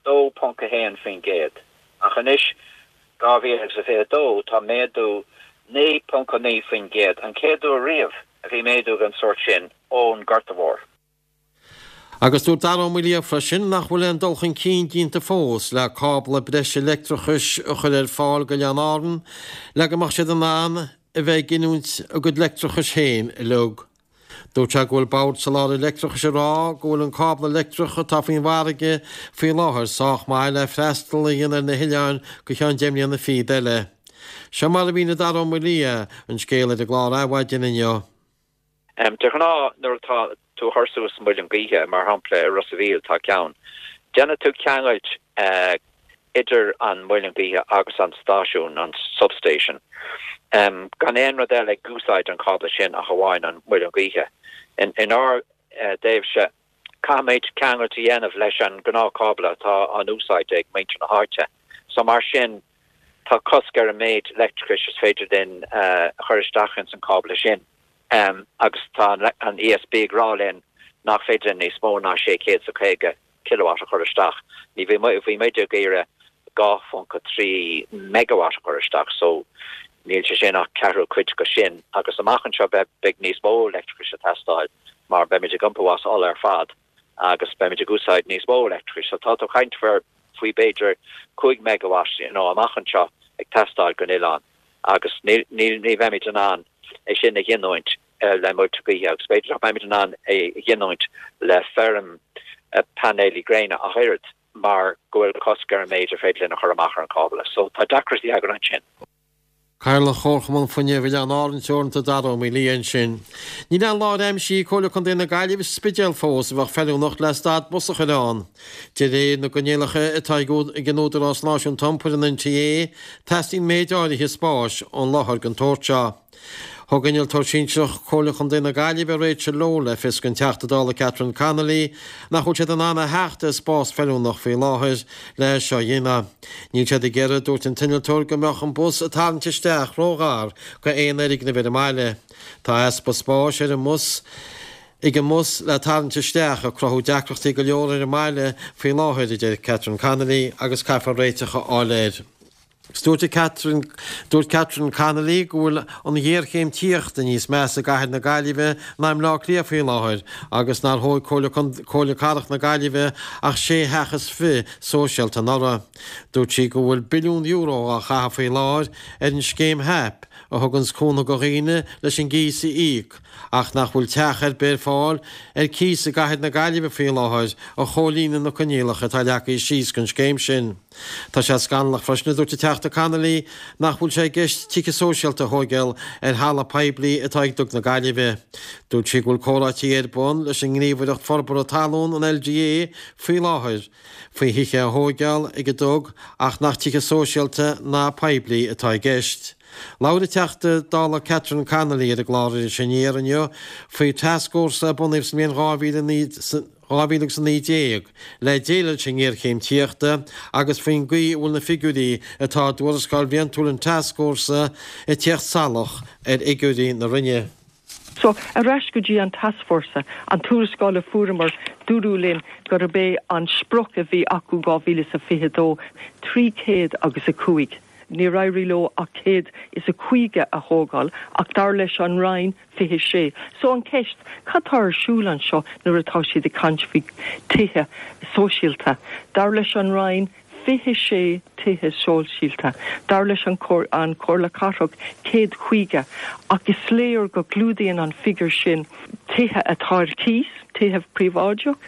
dó ponc a haon faoin gcéad, ach anois, dhá mhíle agus a fiche dó, tá méadú naoi ponc a naoi faoin gcéad, an chéad uair riamh a bhí méadú den sórt sin ón Ghorta Mhór. Agus dúirt Dara Ó Maolaodha freisin nach bhfuil aon dul chun cinn déanta fós le cábla breise leictreachais a chur ar fáil go Oileáin Árann le go mbeadh siad in ann a bheith ag giniúint a gcuid leictreachais féin uilig. Dúirt sé go bhfuil Bord Soláthair Leictreachais ag rá go bhfuil an cábla leictreach atá faoin bhfarraige faoi láthair sách maith le freastal a dhéanamh ar na hoileáin go ceann deich mbliana fichead eile. Seo mar a mhínigh Dara Ó Maolaodha an scéal ar an gclár Adhmhaidin inniu. De ghnáth nuair atá tú ag cur suas muileann gaoithe, mar shampla i Ros a' Mhíl tá ceann, déanann tú ceangailt idir an muileann gaoithe agus an stáisiún, an substation, gan aon rud eile ag úsáid an cábla sin ach amháin an muileann gaoithe. Inár dtaobhse, caithfimid ceangailt a dhéanamh leis an ngnáthchábla atá á úsáid ag muintir na háite. So mar sin, tá cosc ar an méid leictreachais is féidir linn a chur isteach ins an cábla sin. Agus tá an ESB ag rá linn nach féidir linn níos mó ná sé chéad is a caoga kilowatt a chur isteach. Ní bhí bhí muid ag iarraidh dhá phonc a trí megawatt a chur isteach so níl sé sin ach ceathrú cuid de sin. Agus amach anseo beidh níos mó leictreachais ag teastáil mar beimid ag iompú as ola ar fad agus beimid ag úsáid níos mó leictreachais. So tá tú ag caint faoi b'fhéidir cúig megawatt you know amach anseo ag teastáil don oileán. agus ní bheimid in ann é sin a ghiniúint le muilte gaoithe agus b'fhéidir nach mbeimid in ann é a ghiniúint le feirm painéilí gréine ach oiread mar go bhfuil cosc ar an méid ar féidir linn a chur amach ar an cábla. So tá deacrachtaí againn ansin. Cathaoirleach Chomharchumann Fuinnimh Oileáin Árann Teoranta Dara Ó Maolaodha ansin. Níl aon láthair aimsithe ag Comhairle Contae na Gaillimhe sa Spidéal fós a bheadh feiliúnach le stad bus a chur ann. De réir na gcoinníollacha atá ag an Údarás Náisiúnta Iompair, an NTA, teastaíonn méid áirithe spáis ón láthair den tsórt seo. Thug Innealtóir Sinsearach Chomhairle Chontae na Gaillimhe, Rachel Lowe, le fios don Teachta Dála Catherine Connolly nach bhfuil siad in ann a theacht ar spás feiliúnach faoi láthair le seo a dhéanamh. Níl siad ag iarraidh, a dúirt an t-innealtóir, go mbeadh an bus ag tarraingt isteach róghar go aon fhoirgneamh ar an mbaile. Tá easpa spáis ar an mbus ag an mbus le tarraingt isteach ag cruthú deacrachtaí go leor ar an mbaile faoi láthair, a deir Catherine Connolly, agus caithfear réiteach a fháil air. Dúirt Catherine, dúirt Catherine Connolly go bhfuil an ghéarchéim tithíochta níos measa i gcathair na Gaillimhe ná i mBleá Cliath faoi láthair agus nár thóg Comhairle Cathrach na Gaillimhe ach sé theach is fiche sóisialta anuraidh. Dúirt sí go bhfuil billiún euro á chaitheamh faoi láthair ar an scéim HAP a thuganns cúnamh do dhaoine leis an gcíos a íoc ach nach bhfuil teach ar bith ar fáil ar cíos i gcathair na Gaillimhe faoi láthair a chomhlíonann na coinníollacha atá leagtha síos don scéim sin. Tá sé scannalach freisin, a dúirt an Teachta Connolly, nach bhfuil sé i gceist tithe sóisialta a thóigeáil ar thalamh poiblí atá ag Dug na Gaillimhe. Dúirt sí go bhfuil comhráití ar bun leis an nGníomhaireacht Forbartha Talún, an LDA, faoi láthair faoi thithe a thóigeáil ag an Dug ach nach tithe sóisialta ná poiblí atá i gceist. Labhair an Teachta Dála Catherine Connolly ar an gclár Iris Aniar inniu faoi tascfhórsa a bunaíodh sa mbliain dhá mhíle a naoi dhá mhíle agus a naoi déag le déileáil leis an ngéarchéim tithíochta agus faoin gcaoi a bhfuil na figiúirí atá i dtuarascáil bhliantúil an tascfhórsa ag tíocht salach ar fhigiúirí na Roinne. So, ar ais go dtí an tascfhórsa, an tuarascáil a fuaireamar, dúradh linn gurb é an sprioc a bhí acu dhá mhíle is a fiche dó, trí chéad agus a cúig. Níor éirigh leo ach céad is a caoga a thógáil, ach dar leis an Roinn, fiche sé. So an ceist, cad tá ar siúl anseo nuair atá siad ag caint faoi tithe sóisialta? Dar leis an Roinn, fiche sé tithe sóisialta. Dar leis an an Comhairle Cathrach, céad caoga. Ach is léir go gclúdaíonn an figiúr sin tithe atá ar cíos, tithe príobháideach,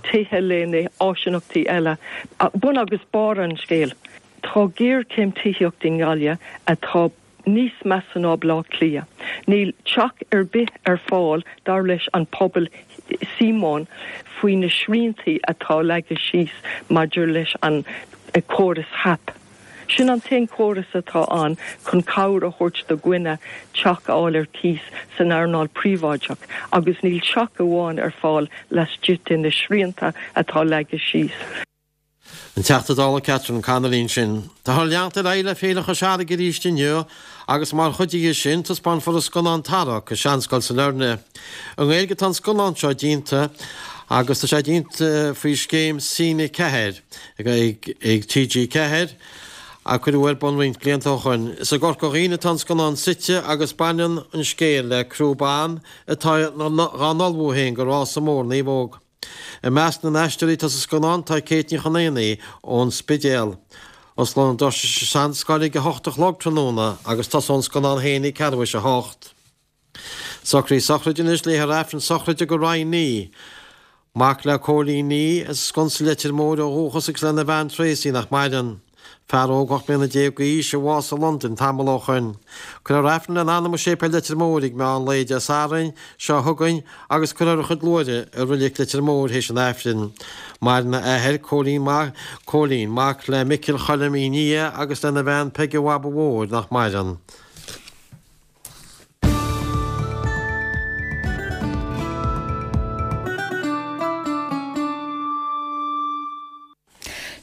tithe le na áisineachtaí eile. Bun agus barr an scéil. Tá géarchéim tithíochta i nGaillimh atá níos measa ná Baile Átha Cliath. Níl teach ar bith ar fáil dar leis an pobal Síomóin faoi na sriantaí atá leagtha síos maidir leis an córas HAP. Sin an t-aon chóras atá ann chun cabhair a thabhairt do dhuine teach a fháil ar cíos san earnáil príobháideach agus níl teach amháin ar fáil laistigh de na srianta atá leagtha síos. An Teachta Dála Catherine Connolly ansin. Táthar ag leanacht ar aghaidh le Féile Chois Fharraige arís inniu agus mar chuid dhe sin taispeánfar an scannán Tarrac i Seanscoil Sailearna. I nGaeilge atá an scannán seo déanta agus tá sé déanta faoi scéim Cine ceathair ag T G ceathair a cuireadh ar bun roinnt blianta ó shoin. Is i gCorca Dhuibhne atá an scannán suite agus baineann an scéal le criú ban atá dhá n-ullmhú féin go rása mór naomhóg. I measc na n-aisteoirí atá sa scannán tá Kate Ní Chonaonaigh ón Spidéal. Osclóidh na doirse sa Seanscoil ag a hocht a chlog tráthnóna agus tosóidh an scannán féin ag ceathrú théis a hocht. Socruithe sochraide anois, léifear Aifreann sochraide do Ryan Nee, mac le Cóilín Nee as Sconsa Leitir Móir ó dhúchas agus lena bhean Tracy nach maireann. Fear óg ocht mbliana déag d'aois a bhásaigh i Londain tamall ó shoin. Cuirfear Aifreann lena anam i Séipéal Leitir Móir ag meán lae Dé Sathairn seo chugainn agus cuirfear a chuid luaithre i Reilig Leitir Móir théis an Aifrinn. Maireann a athair, Cóilín mac, Cóilín, mac le Micil Choilm Uí Nia agus lena bhean Peige Bhaba Mhóir nach maireann.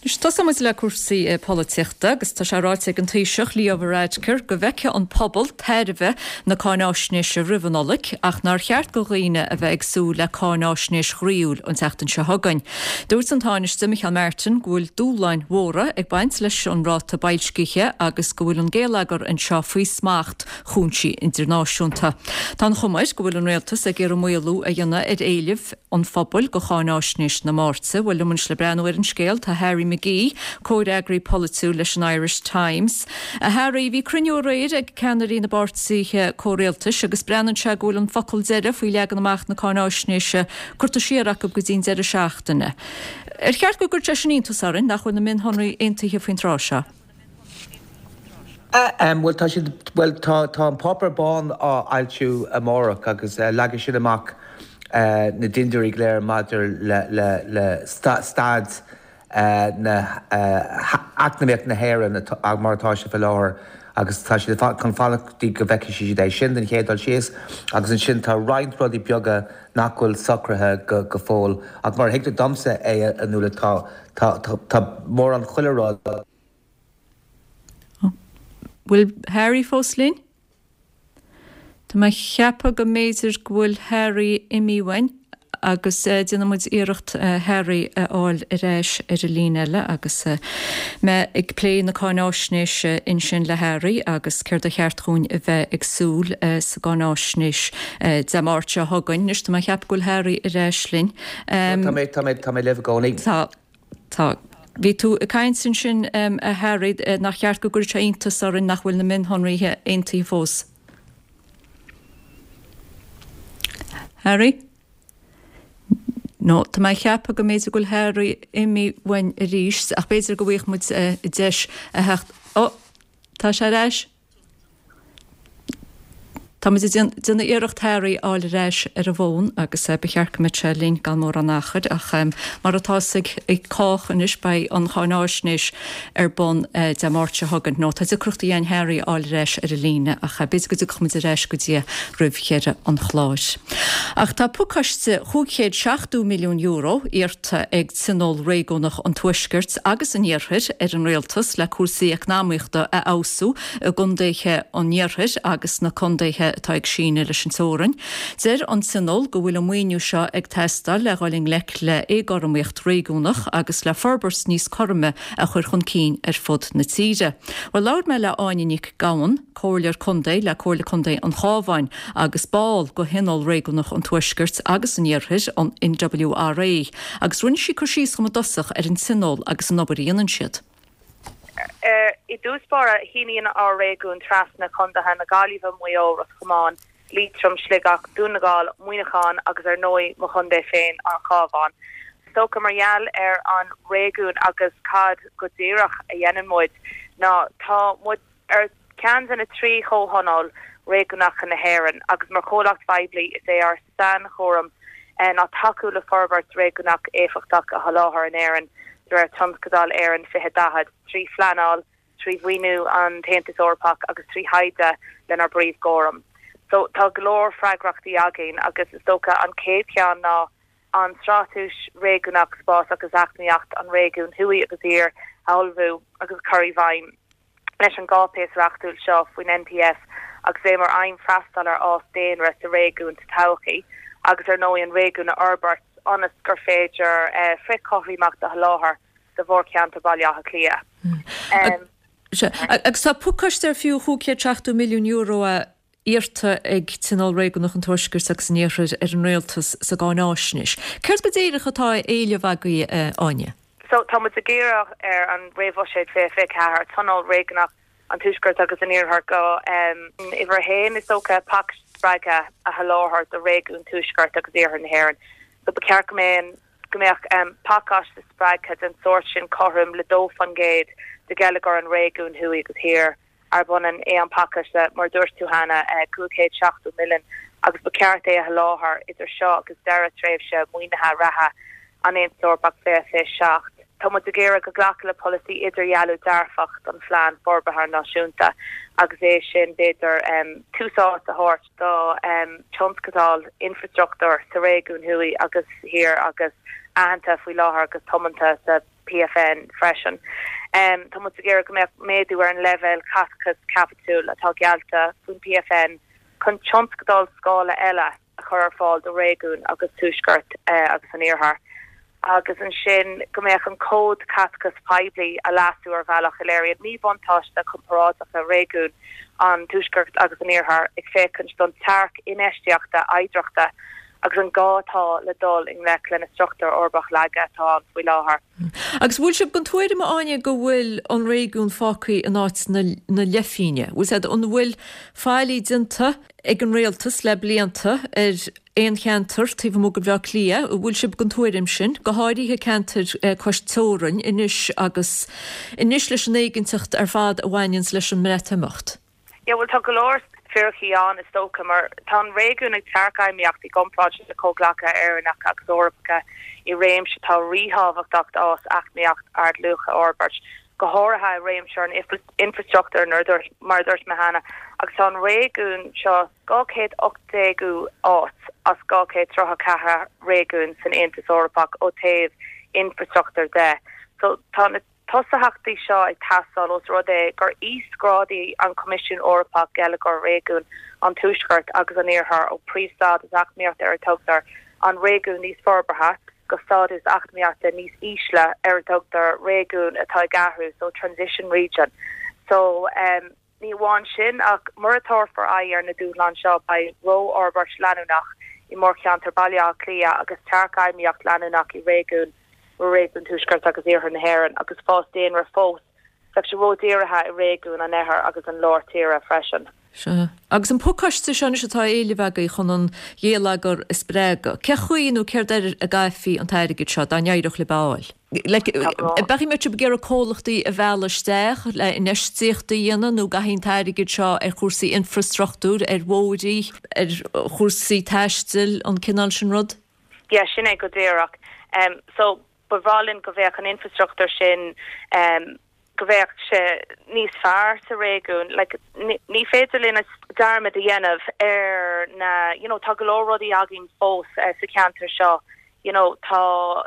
Anois tosóidh muid le cúrsaí polaitíochta agus tá sé ráite ag an Taoiseach Leo Varadkar go bhfeicfidh an pobal tairbhe na cáináisnéise roimh an Nollaig ach nár cheart do dhaoine a bheith ag súil le cáináisnéis ghroíúil an tseachtain seo chugainn. Dúirt an Tánaiste Micheál Martin go bhfuil dúshláin mhóra ag baint leis an ráta boilscithe agus go bhfuil an géilleagar anseo faoi smacht chúinsí idirnáisiúnta. Tá an chuma air go bhfuil an rialtas ag iarraidh maolú a dhéanamh ar éileamh an phobail go cháináisnéis na Máirte. Bhuel liom anois le breathnú ar an scéal tá Harry McGee, comhfhreagraí polaitiúil leis an Irish Times. A Harry, bhí cruinniú aréir ag ceannairí na bpáirtithe comhrialtais agus breathnaíonn sé go bhfuil an focal deiridh faoi leagan amach na cáináisnéise curtha siar acu go dtí an deireadh seachtaine. Ar cheart go gcuirfeadh sé sin iontas orainn nach bhfuil na mionshonraí aontaithe faoin tráth seo? Bhuel, tá siad, bhuel, tá, tá an páipéar bán á fhoilsiú amárach agus leagfaidh sin amach na dindiúirí go léir maidir le, le, le staid na eacnamaíocht na hÉireann mar atá sé faoi láthair agus tá siad chun fanacht go dtí go bhfeicfidh siad é sin den chéad dul síos agus ansin tá roinnt rudaí beaga nach bhfuil socraithe go go fóill ach mar a thuigtear domsa é a Nuala tá tá tá mórán chuile rud Bhfuil Harry fós linn? Tá mé ag ceapadh go mb'fhéidir go bhfuil Harry imithe uainn Agus déanfaidh muid iarracht Harry a fháil ar ais ar an líne eile agus mé ag plé na cáináisnéise ansin le Harry agus céard a cheart dhúinn a bheith ag súil sa gcáináisnéis Dé Máirt seo chugainn. Anois tá mé ag ceapadh go bhfuil Harry ar ais linn. Tá mé, tá mé, tá mé libh i gcónaí. Tá, tá. Bhí tú ag caint ansin a Harry nach cheart go gcuirfeadh sé iontas orainn nach bhfuil na mionshonraithe aontaithe fós. Harry? No, tá mé ag ceapadh go mb'fhéidir go bhfuil Harry imithe uainn arís, ach b'fhéidir go bhfaighidh muid deis a theacht. Ó, tá sé ar ais. Tá muid ag déanamh iarracht Harry a fháil ar ais ar an bhfón agus ba cheart go mbeadh sé linn gan mórán achair ach mar atá a fhios ag cách anois beidh an cháináisnéis ar bun Dé Máirt seo chugainn. Nó tá deacrachtaí againn Harry a fháil ar ais ar an líne ach b'fhéidir go dtiocfaidh muid ar ais go dtí é roimh dheireadh an chláir. Ach tá pacáiste chúig chéad seachtó milliún euro iarrta ag Tionól Réigiúnach an Tuaiscirt agus an Iarthair ar an Rialtas le cúrsaí eacnamaíochta a fheabhsú i gcontaetha an Iarthair agus na contaetha atá ag síneadh leis an teorainn. Deir an Tionól go bhfuil an maoiniú seo ag teastáil le dhul i ngleic le éagothromaíocht réigiúnach agus le forbairt níos cothroime a chur chun cinn ar fud na tíre. Bhuel, labhair mé le Áine Nic Gabhann, Comhairleoir Contae le Comhairle Contae an Chabháin agus ball de Thionól Réigiúnach an Tuaiscirt agus an Iarthair, an NWRA, agus rinne sí cur síos dhom i dtosach ar an Tionól agus an obair a dhéanann siad. I dtús báire, shíníonn ár réigiún trasna contaetha na Gaillimhe, Maigh Eo, Ros Comáin, Liatroim, Sligeach, Dún na nGall, Muineachán agus ar ndóigh mo chontae féin, an Cabhán. Is dócha mar gheall ar an réigiún agus cad go díreach a dhéanann muid ná tá muid ar ceann de na trí chomhthionól réigiúnacha na hÉireann agus mar chomhlacht phoiblí is é ár sainchúram ná tacú le forbairt réigiúnach éifeachtach a sholáthar in Éirinn de réir Tionscadal Éireann fiche daichead, trí phleanáil, trí mhaoiniú an tAontas Eorpach agus trí thaighde lenár bpríomhchúram. So tá go leor freagrachtaí againn agus is dócha an chéad cheann ná an Straitéis Réigiúnach Spás agus Eacnamaíocht an Réigiúin Thuaidh agus Thiar a ullmhú agus a chur i bhfeidhm leis an gcáipéis reachtúil seo faoin NPF agus é mar aidhm freastal ar fhás daonra sa réigiún sa todhchaí agus ar ndóigh an réigiún a fhorbairt ionas gur féidir frithchothromaíocht a sholáthar do mhórcheantar Bhaile Átha Cliath. Agus tá pacáiste ar fiú chúig chéad seachtó milliún euro é iarrta ag Tionól Réigiúnach an Tuaiscirt agus an Iarthair ar an Rialtas sa gcáináisnéis. Céard go díreach atá á éileamh agaibh, a Áine? So, tá muid ag iarraidh ar an réamhbhuiséad fiche fiche ceathair, Tionól Réigiúnach an Tuaiscirt agus an Iarthair go uimhir a haon, is dócha, pacáiste spreagtha a sholáthar do réigiún Tuaisceart agus Iarthar na hÉireann. So ba cheart go mbeadh go mbeadh pacáiste spreagtha den sórt sin cothrom le dó faoin gcéad de gheilleagar an réigiúin thuaidh agus thiar, arb ionann é an pacáiste, mar a dúirt tú cheana, cúig chéad seachtó milliún, agus ba cheart é a sholáthar idir seo agus deireadh tréimhse maoinithe reatha an Aontais Eorpaigh fiche fiche seacht. Tá muid ag iarraidh go nglacfar le polasaí idirdhealú dearfach don Phlean Forbartha Náisiúnta agus é sin, b'fhéidir, tús áite a thabhairt do thionscadail infreastruchtúir sa réigiún thuaidh agus thiar agus aitheanta faoi láthair agus tiomanta sa PFN freisin. Tá muid ag iarraidh go mbeadh méadú ar an leibhéal caiteachais caipitiúil atá geallta faoin PFN chun tionscadail scála eile a chur ar fáil do réigiún agus Tuaisceart agus an Iarthair agus ansin go mbeadh an Cód Caiteachais Poiblí a leasú ar bhealach a léiríonn míbhuntáiste comparáideacha réigiún an Tuaiscirt agus an Iarthair ag féachaint don tearc infheistíochta oidhreachta agus an gá atá le dul i ngleic leis na struchtúir uirbeach laga atá ann faoi láthair. Agus bhfuil sibh den tuairim, a Áine, go bhfuil an réigiún fágtha in áit na leithphingne? Bhfuil siad, an bhfuil faillí déanta ag an rialtas le blianta ar aon cheantar taobh amuigh de Bhaile Átha Cliath? An bhfuil sibh den tuairim sin, go háirithe ceantair cois teorann anois agus anois leis an éiginnteacht ar fad a bhaineanns leis an mBreatimeacht? Yeah, bhuel tá go leor fíricí ann is dócha mar tá an réigiún ag tearcfheidhmíocht i gcomparáid le comhghleacaithe Éireannacha agus Eorpacha i réimse atá ríthábhachtach d'fhás eacnamaíocht ardluacha a fhorbairt, go háirithe i réimse an infreastruchtúir mar a dúirt mé cheana, agus tá an réigiún seo dhá chéad ocht déagú áit as dhá chéad tríocha ceathair réigiún san Aontas Eorpach ó thaobh infreastruchtúir de. So tá na tosaíochtaí seo ag teastáil ós rud é gur íosghrádaigh an Coimisiún Eorpach geilleagar réigiún an Tuaiscirt agus an Iarthair ó príomhstádas eacnamaíochta ar a dtugtar an réigiún níos forbartha go stádas eacnamaíochta níos ísle ar a dtugtar réigiún atá ag athrú, so transition region. So um, ní amháin sin ach mura dtabharfar aghaidh ar na dúshláin seo beidh rófhorbairt leanúnach i mórcheantar Baile Átha Cliath agus tearcfheidhmíocht leanúnach i réigiún réigiún Tuaisceart agus Iarthar na hÉireann agus fás daonra fós bheadh sé ródhírithe i réigiún an Oirthir agus an Lár Tíre freisin. Sea. Agus an pacáiste seo anois atá á éileamh agaibh chun an geilleagar a spreagadh, cé chaoi nó céard air a gcaithfí an t-airgead seo dá n-éireodh libh é a fháil? Like, beidh muid ag iarraidh comhlachtaí a mhealladh isteach le infheistíocht a dhéanamh nó an gcaithfí an t-airgead seo ar chúrsaí infrastruchtúir, ar bhóithre, ar chúrsaí taistil, an cineál sin rud? Yeah, sin é go díreach. Um, so ba bhreá linn go bheadh an infrastruchtúr sin um, go bheadh sé níos fearr sa réigiún like, ní féidir linn dearmad a dhéanamh ar na you know, tá go leor rudaí againn fós uh, sa cheantar seo you know, tá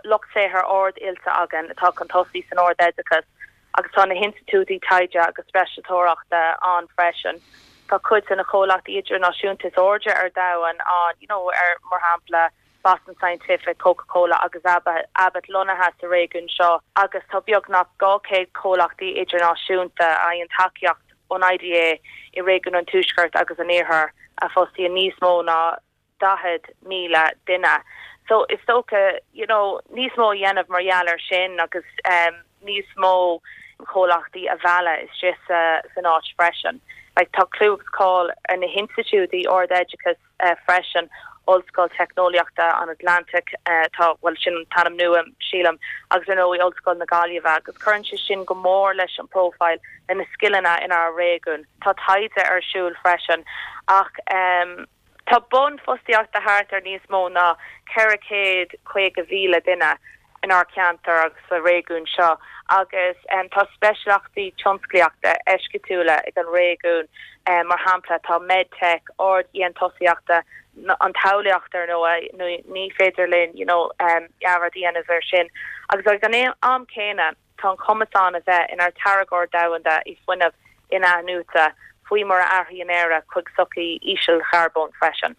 lucht saothair ard-oilte againn atá chun tosaigh san ardoideachas agus tá na hinstitiúidí taighde agus speisialtóireachta ann freisin. Tá cuid de na comhlachtaí idirnáisiúnta is airde ar domhan an you know, ar mar shampla Boston Scientific, Coca-Cola agus Abbott lonnaithe sa réigiún seo agus tá beagnach dhá chéad comhlachtaí idirnáisiúnta a fhaigheann tacaíocht ón IDA i réigiún an Tuaiscirt agus an Iarthair a fostaíonn níos mó ná daichead míle duine. So is dócha you know, níos mó a dhéanamh mar gheall air sin agus um, níos mó comhlachtaí a mhealladh isteach sa, san áit freisin. Like, tá clú agus cáil ar na hinstitiúidí ardoideachais uh, freisin Ollscoil Teicneolaíochta an Atlantaigh uh, tá well sin an t-ainm nua sílim agus ar ndóigh Ollscoil na Gaillimhe agus cuireann sé sin go mór leis an profile le na scileanna inár réigiún. Tá taighde ar siúl freisin ach um, tá bonn fostaíochta thart ar níos mó ná ceithre chéad caoga mhíle duine inár ceantar agus sa réigiún seo agus um, tá speisialachtaí tionsclaíochta eisceachtúla ag an réigiún um, mar shampla tá medtech ard-dhéantúsaíochta an talmhaíocht ar ndóigh ní féidir linn you know, um, dearmad a dhéanamh air sin. Agus ag an am céanna tá an cumas ann a bheith inár dtáirgeoir domhanda i fuinneamh in-athnuaite faoi mar a athraíonn Éire chuig sochaí ísealcharbóin freisin.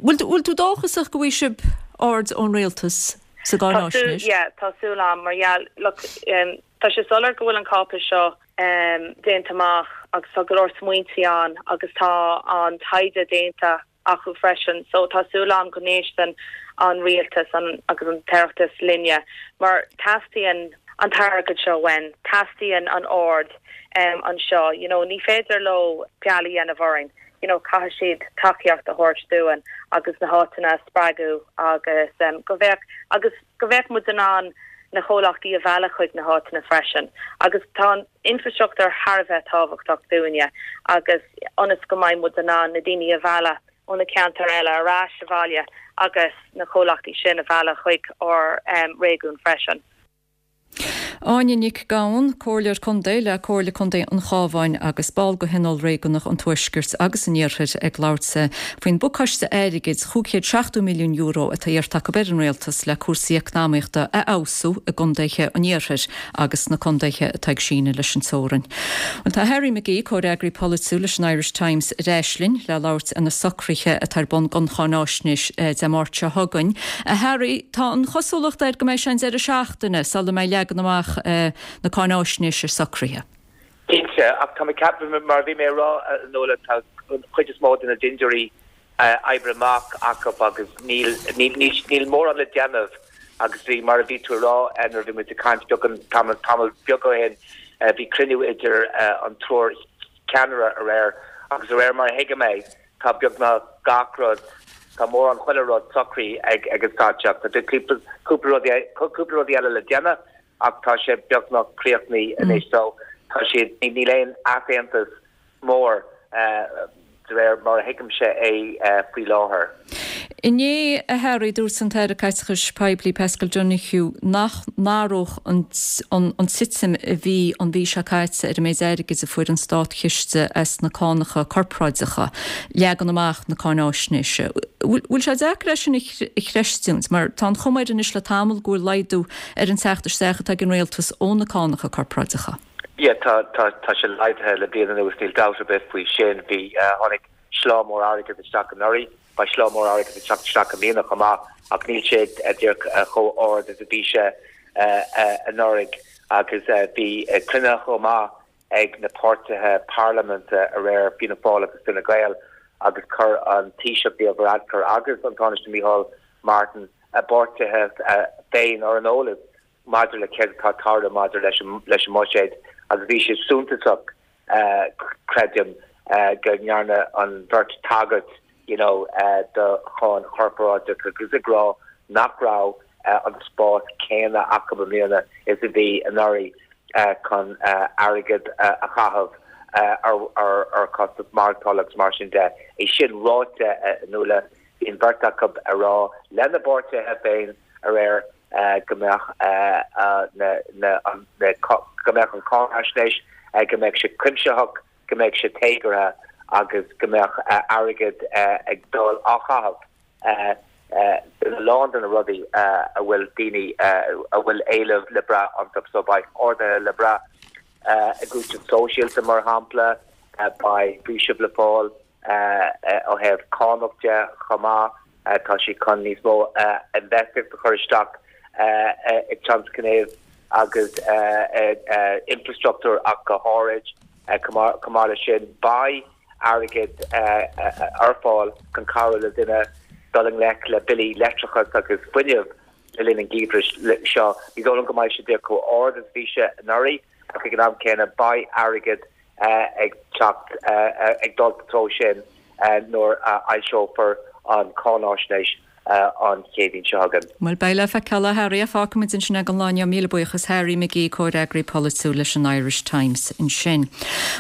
Bhfuil tú dóchasach go bhfaighidh sibh aird ón rialtas sa gcáináisnéis? Yeah, tá súil agam mar yeah, look, um, tá sé soiléir go bhfuil an cáipéis seo um, déanta amach agus tá go leor smaointe ann agus tá an taighde déanta acu freisin, so tá súil agam go n-éisteann an rialtas an, agus an tOireachtas linne mar teastaíonn an t-airgead seo uainn, teastaíonn an aird um, anseo, you know, ní féidir leo feall a dhéanamh orainn. You know, caithfidh siad tacaíocht a thabhairt dúinn agus na háiteanna spreagadh agus um, go bheadh agus go bheadh muid in ann na comhlachtaí a mhealladh chuig na háiteanna freisin. Agus tá an infrastruchtúr thar a bheith tábhachtach dúinne agus ionas go mbeidh muid in ann na daoine a mhealladh ó na ceantair eile ar ais abhaile agus na comhlachtaí sin a mhealladh chuig ár um, réigiún freisin. Áine Nic Gabhann, Comhairleoir Contae le Comhairle Contae an Chabháin agus ball de Thionól Réigiúnach an Tuaiscirt agus an Iarthair ag labhairt faoin bpacáiste airgid chúig chéad seachtó milliún euro atá iarrtha acu ar an rialtas le cúrsaí eacnamaíochta a fheabhsú i gcontaetha an Iarthair agus na contaetha atá ag síneadh leis an teorainn. Bhuel tá Harry McGee comhfhreagraí polaitiúil leis an Irish Times ar ais linn le labhairt ar na socruithe atá ar bun don cháináisnéis Dé Máirt seo chugainn. A Harry, tá an chosúlacht air go mbeidh sé an deireadh seachtaine sula mbeidh leagan amach na cáináisnéise socraithe. Cinnte, ach tá mé ag ceapadh mar bhí mé ag rá Nuala tá chuid is mó de na dintiúirí oibrithe amach acu agus níl níl mórán le déanamh agus bhí mar a bhí tú ag rá nuair a bhí muid ag caint beag tamall tamall beag ó shin bhí cruinniú idir an triúr ceannaire aréir agus aréir mar a thuigim é tá beagnach gach rud tá mórán chuile rud socraithe ag ag an stáitseach. Tá cúpla rudaí cúpla rudaí eile le déanamh ach tá sé beagnach críochnaithe anois so tá siad níl aon easaontas mór de réir mar a thuigimse é faoi láthair. Inné a Harry dúirt an tAire Caiteachais Poiblí Paschal Donohoe nach n-athródh an, an, an titim a bhí an mhí seo caite ar an méid airgid a fuair an státchiste as na cánacha corparáideacha leagan amach na cáináisnéise. Bhfuil sé deacair é sin a chreistiúint, mar tá an chuma air anois le tamall go bhfuil laghdú ar an teacht isteach atá ag an rialtas ó na cánacha corparáideacha. Yeah, tá tá tá sé laghdaithe le bliain anuas níl dabht ar bith faoi sin bhí uh, tháinig slá mór airgid isteach anuraidh, beidh slá mór airgid ag teacht isteach i mbliana chomh maith ach níl sé díreach chomh ard is a bhí sé anuraidh agus bhí cruinnithe chomh maith ag na páirtithe parlaiminte aréir, Fianna Fáil agus Fine Gael, agus chuir an Taoiseach Leo Varadkar agus an Tánaiste Micheál Martin a bpáirtithe féin ar an eolas maidir le céard atá ag tarlú maidir leis an mbuiséad agus bhí sé suntasach, creidim, go ndearna an bheirt tagairt you know do cháin chorparáideach agus ag rá nach raibh an spás céanna acu i mbliana is a bhí anuraidh chun airgead a chaitheamh ar chostas maireachtála agus mar sin de. É sin ráite, a Nuala, bhí an bheirt acu ag rá lena bpáirtithe féin aréir go mbeadh go mbeadh an cháinaisnéis, go mbeadh sé cuimsitheach, go mbeadh sé téagartha agus go mbeadh airgead ag dul á chaitheamh ar a lán de na rudaí a bhfuil daoine a bhfuil éileamh le brath iontu. So beidh arduithe le brath i gcúiteamh sóisialta, mar shampla, beidh faoiseamh le fáil ó thaobh cánach de chomh maith. Tá siad chun níos mó infheistíocht a chur isteach i dtionscnaimh agus infreastruchtúr ach go háirid. Chomh maith leis sin, beidh airgead ar fáil chun cabhrú le daoine dul i ngleic le billí leictreachais agus fuinnimh le linn an gheimhridh seo. Ní dóigh liom go mbeidh sé díreach chomh ard is a bhí sé anuraidh ach ag an am céanna beidh airgead ag teacht, ag dul sa treo sin nuair a fhoilseofar an cháinaisnéis an Chéadaoin seo chugainn. Bhuel, beidh le feiceáil, a Harry. Fágfaimid ansin é don lá inniu. Míle buíochas, Harry McGee, comhfhreagraí polaitiúil leis an Irish Times ansin.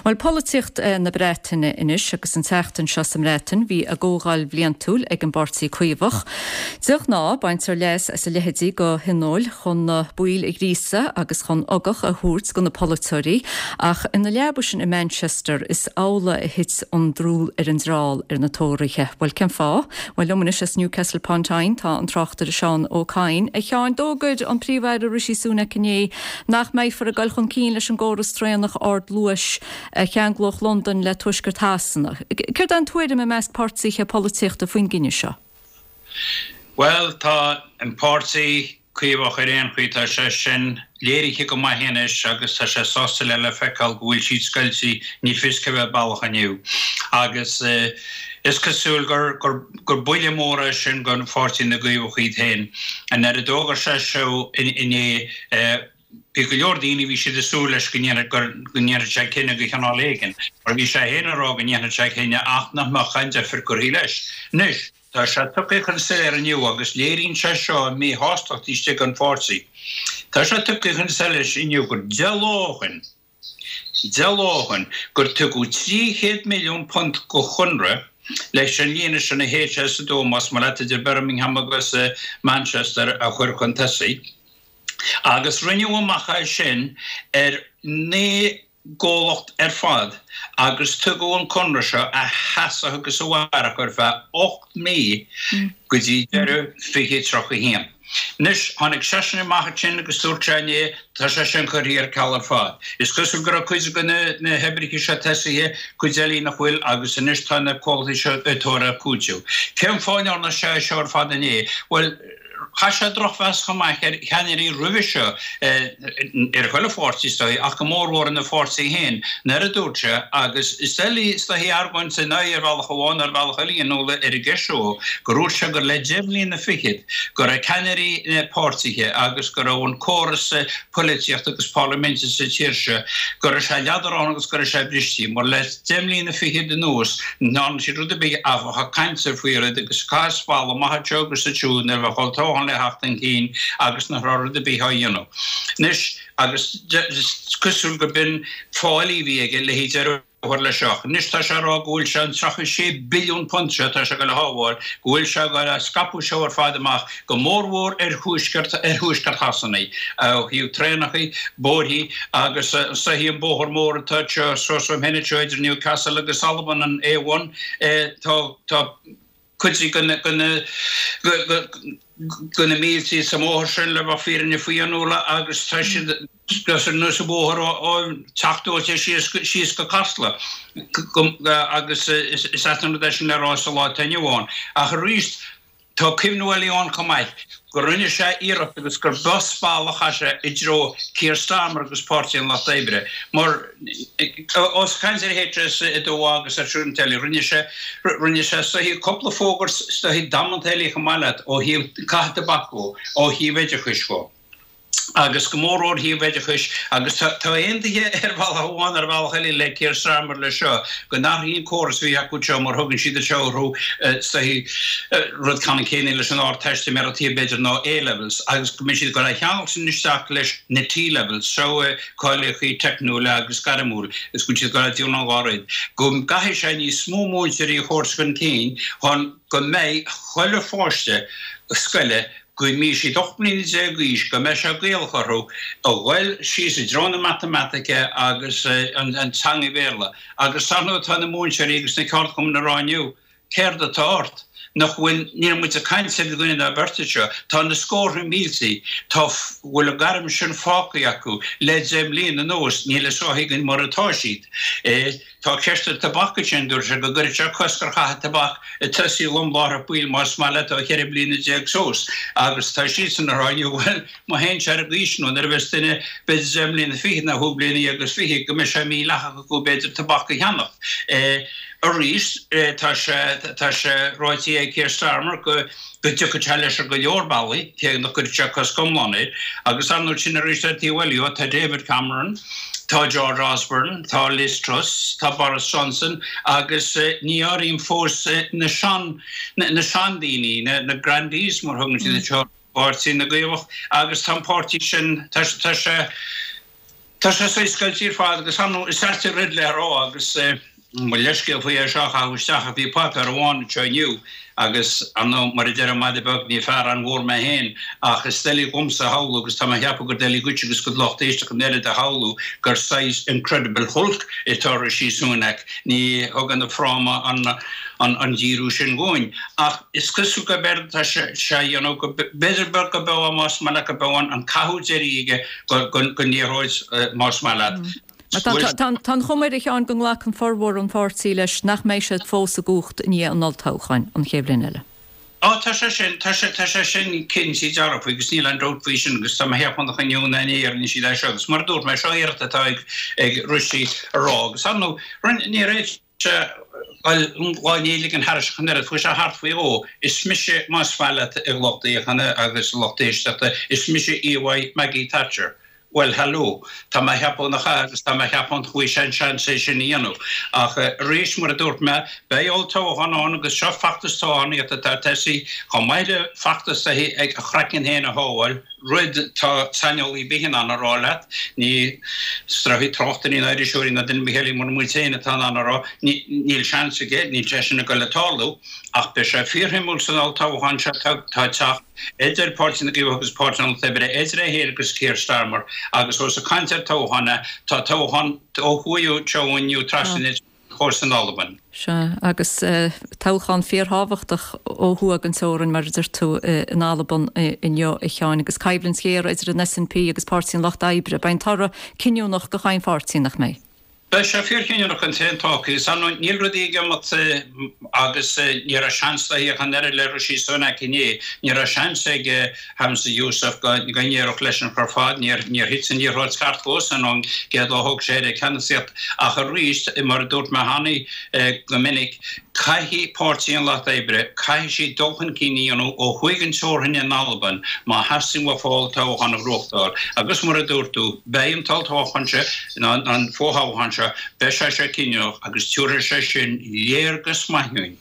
Bhuel, polaitíocht na Breataine anois agus an tseachtain seo sa mBreatain bhí a gcomhdháil bhliantúil ag an bPáirtí Caomhach. De ghnáth, baintear leas as a leithéidí de thionóil chun na baill a ghríosadh agus chun ugach a thabhairt do na polaiteoirí ach ina leaba sin i Manchester is amhlaidh a thit an drúl ar an dtreall ar na Tóraithe. Bhuel, cén fáth? Bhuel, liom anois as Newcastle upon Tyne tá an tráchtaire Seán Ó Cadhain. A Sheáin, d'fhógair an Príomh-Aire Rishi Sunak inné nach mbeifear ag dul chun cinn leis an gcóras traenach ardluais a cheanglódh Londain le tuaisceart Shasana. Céard é an tuairim i measc páirtithe polaitíochta faoin gcinneadh seo? Bhuel, tá an páirtí Caomhach ar aon chaoi, tá sé sin léirithe go maith anois agus tá sé sásta le le feiceáil go bhfuil siad scoilte, ní fios cé bheith baileach inniu. Agus is cosúil gur gur gur buille mór é sin don pháirtí na gCaomhach iad féin. Nuair a d'fhógair sé seo inné, bhí go leor daoine, bhí siad ag súil leis go ndéanfadh go ndéanfadh sé cinneadh de chineál éigin, mar bhí sé féin ag rá go ndéanfadh sé cinneadh ach nach mbeadh aon deifir curtha leis. Anois, tá sé tugtha chun soiléir inniu agus léiríonn sé seo an mhíshástacht istigh an pháirtí. Tá sé tugtha chun solais inniu gur deich lá ó shin, deich lá ó shin, gur tugadh trí chéad milliún punt de chonradh leis an líne sin a H S a dó, más maith leat, idir Birmingham agus Manchester a chur chun tosaigh. Agus rinneadh amach é sin ar naoi gcomhlacht ar fad agus tugadh an conradh seo a sheasfadh agus a mhairfeadh ar feadh ocht mí go dtí deireadh fiche tríocha a haon. Anois, tháinig seisean amach ansin agus dúirt sé inné, tá sé sin curtha ar ceal ar fad. Is cosúil go raibh cuid de na hoibrithe seo tosaithe, cuid eile nach bhfuil agus anois tá na comhlachtaí seo ag tabhairt ar cúiteamh. Cén fáth a ndearna sé seo ar fad inné? Bhuel, Chaith sé drochmheas chomh maith ar cheannairí roimhe seo, ar chuile pháirtí is dóigh, ach go mórmhór ina pháirtí féin, nuair a dúirt sé, agus is doiligh is dóigh argóint ina aghaidh ar bhealach amháin nó ar bhealach eile a Nuala ar an gceist seo, gur dhúirt sé gur le deich mbliana fichead go raibh ceannairí na páirtithe agus go raibh an córas poilitíochta agus parlaiminte sa tír seo, go raibh sé leadránach agus go raibh sé bristí, mar le deich mbliana fichead anuas ní dhearna siad rud ar bith ach bheith ag caint faoi rud agus ag caitheamh spalla amach anseo agus ansiúd nuair a bheadh olltoghchán le theacht chun cinn agus nach raibh rud ar bith á dhéanamh. Anois, agus is cosúil go b'in fáillí a bhí aige le deireadh a chur leis seo. Anois tá sé ag rá go bhfuil sé an tríocha sé billiún punt seo atá sé ag dul a shábháil, go bhfuil sé ag dul a scaipeadh seo ar fad amach, go mórmhór ar thuaisceart ar thuaisceart Shasana, ó thaobh traenacha, bóithre agus is dóichí an bóthar mór atá anseo suas uaim féin anseo idir Newcastle agus Albain, an A one, tá tá cuid de na mílte sa mbóthar sin le bheith fírinne faoi a Nuala agus tá siad ar nós an bóthar ó teacht ó síos go Casla agus is ait an rud é sin le rá sa lá atá inniu ann. Ach arís Tá cuimhniú eile ann chomh maith go rinne sé iarracht agus gur b'as bealach as sé i dtreo Keir Starmer agus Páirtí an Lucht Oibre mar os caint ar HS a dó agus ar siúl an teilí rinne sé rinne sé is dóichí cúpla fógairt is dóichí damanta eile chomh maith leat ó thaobh caitheamh tobac dhó ó thaobh oideachais dhó. agus go mór ó thaobh oideachais agus tá aontaithe ar bhealach amháin ar bhealach eile le Keir Starmer leis seo go n-athraíonn an córas a bhí acu seo mar thugann siad anseo orthu is dóichí rud ceannann céanna leis an Ardteistiméireacht thiar b'fhéidir ná A-levels agus go mbeidh siad ag dul a cheangal sin isteach leis na T-levels seo cáilíochtaí teicniúla agus gairmiúil is go bhfuil siad ag dul a déanamh an dhá rud go gcaithfidh sé níos mó múinteoirí a thabhairt chun cinn chun go mbeidh chuile pháiste scoile go mbeidh siad ocht mbliana déag d'aois, go mbeidh sé Gaelach orthu a ghoil síos i dtreo na matamaitice agus an teanga Bhéarla. Agus ar ndóigh tá na múinteoirí agus na ceardchumainn ag rá inniu, céard atá ort? Nach bhfuil, níl muid ag caint ar dhuine ná beirt anseo, tá na scórtha mílte, tá, bhfuil an gairm sin fágtha acu le deich mbliana anuas, níl a fhios againn mar atá siad. Tá ceist an tobac ansin, dúirt sé go gcuirfeadh sé cosc ar chaitheamh tobac ag tosaí lom láithreach baill más maith leat ó cheithre bliana déag suas agus tá siadsan ag rá inniu bhuel má théann sé ar an gcaoi sin nó nuair a bheas duine b'fhéidir deich mbliana fichead nó chúig bliana dhéag agus fiche go mbeidh sé mídhleathach acu b'fhéidir tobac a cheannach. Arís tá sé tá sé ráite ag Keir Starmer go go dtiocfaidh sé leis ar go leor bealaí, cé nach gcuirfidh sé cosc iomlán air agus ar ndóigh sin arís ar taobh eile tá David Cameron, Tá George Osborne, tá Liz Truss, tá Boris Johnson agus ní áirím fós na sean, na seandaoine, na, na grandies mar thugann siad anseo, Páirtí na gCaomhach agus tá an páirtí sin, tá, tá sé, tá sé saghas scoilte ar fad agus ar ndóigh is ait an rud le rá agus mo leithscéal faoi é seo a chaitheamh isteach ach bhí páipéar amháin anseo inniu Agus, ar ndóigh, mar a deir an madadh beag, ní fear an-mhór mé féin, ach is doiligh dhomsa a shamhlú, agus tá mé a cheapadh gur doiligh dhuit agus do lucht éisteachta an oiread a shamhlú, gur saghas Incredible Hulk atá Rishi Sunak. Ní thugann an fráma an díriú sin dhúinn. Ach is cosúil gurb éard atá sé a dhéanamh, go b'fhéidir beag go beo, más maith leat, go beo an caitheamh deiridh aige den liathróid, más maith leat. Tá an chuma air, a Sheáin, go nglacann formhór an pháirtí leis nach mbeidh siad fós i gcumhacht i ndiaidh an olltoghcháin an chéad bhliain eile. Á, tá sé sin, tá sé, tá sé sin cinnte dearfa agus níl aon dabht faoi sin agus tá mé a cheapadh nach inniu ná inné a rinne siad é seo agus mar a dúirt mé, seo iarracht atá ag, ag Rishi a rá agus ar ndóigh, rinne, níor fhéad sé dul lá i ndiaidh ligean thairis ach an oiread, chuaigh sé thart faoi dhó, is mise, más maith leat, a lucht féachana agus a lucht éisteachta, is mise íomhá Maggie Thatcher. Bhuel, hello. Tá mé a cheapadh nach ea agus tá mé a cheapadh nach bhfaighidh sé an seans é sin a dhéanamh. Ach arís, mar a dúirt mé, beidh olltoghchán ann agus seo feachtas toghchánaíochta atá ag tosaí, chomh maith le feachtas ag a chraiceann féin a shábháil, rud atá saineolaí ar bith in ann a rá leat, ní is dóichí tráchtairí ná iriseoirí ná duine ar bith eile mura muid féin atá in ann a rá, níl seans aige, níl sé sin ag dul ag tarlú. Ach beidh sé fíorshuimiúil san olltoghchán seo atá ag teacht. idir Páirtí na gCaomhach agus Páirtí an Lucht Oibre, idir é féin agus Keir Starmer, agus ós ag caint ar toghchán é, tá toghchán ó thuaidh anseo inniu trasna an chósta in Albain. Sea, agus toghchán fíorthábhachtach ó thuaidh den teorainn, mar a deir tú, in Albain inniu, a Sheáin, agus coimhlint ghéar idir an SNP agus Páirtí an Lucht Oibre. Beidh an toradh cinniúnach do chaon pháirtí, nach mbeidh? Beidh sé fíorchinniúnach don t-aon toca. Is ar ndóigh, níl rudaí ag imeacht agus ní raibh seans léi ach an oiread le Rishi Sunak inné. Ní raibh seans ag Humza Yousaf go n-éireodh leis an chor fad. Níor thit an liathróid ceart dhósan ón gcéad lá a thóg sé air an ceannasaíocht. Ach arís, mar a dúirt mé cheana go minic, Caithfidh Páirtí an Lucht Oibre, caithfidh siad dul chun cinn a dhéanamh ó thuaidh den teorainn in Albain má theastaíonn uafa olltoghchán a ghnóthachtáil. Agus mar a dúirt tú, beidh an t-olltoghchán seo, nó an fothoghchán seo, beidh sé seo cinniúnach agus tabharfaidh sé sin léargas maith dhúinn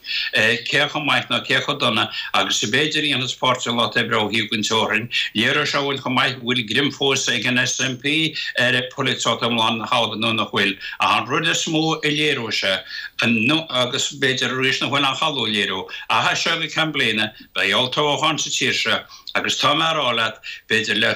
cé chomh maith nó cé chomh dona agus a b'fhéidir a dhéanfas Páirtí an Lucht Oibre ó thaobh den teorainn. Léireoidh sé dhúinn chomh maith an bhfuil greim fós ag an SNP ar pholaitíocht iomlán na hAlban nó nach bhfuil. Ach an rud is mó a léireoidh sé, agus b'fhéidir arís nach bhfuil aon chall a léiriú, ach as seo go ceann bliana beidh olltoghchán sa tír seo agus tá mé a rá leat, b'fhéidir le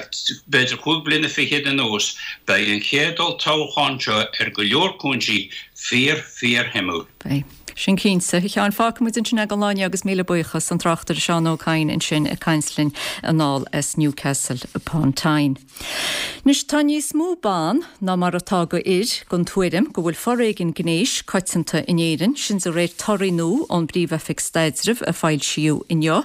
b'fhéidir cúig bliana fichead anuas, beidh an chéad olltoghchán seo ar go leor cúinsí fíor fíor shuimiúil. Beidh. Sin cinnte. A Sheáin, fágfaidh muid ansin é don lá inniu agus míle buíochas, an tráchtaire Seán Ó Cadhain ansin ag caint linn anall as Newcastle upon Tyne. Anois tá níos mó ban ná mar atá go fhir den tuairim go bhfuil foréigean gnéis coitianta in Éirinn, sin de réir torthaí nua ón bPríomh-Oifig Staidrimh a foilsíodh inniu.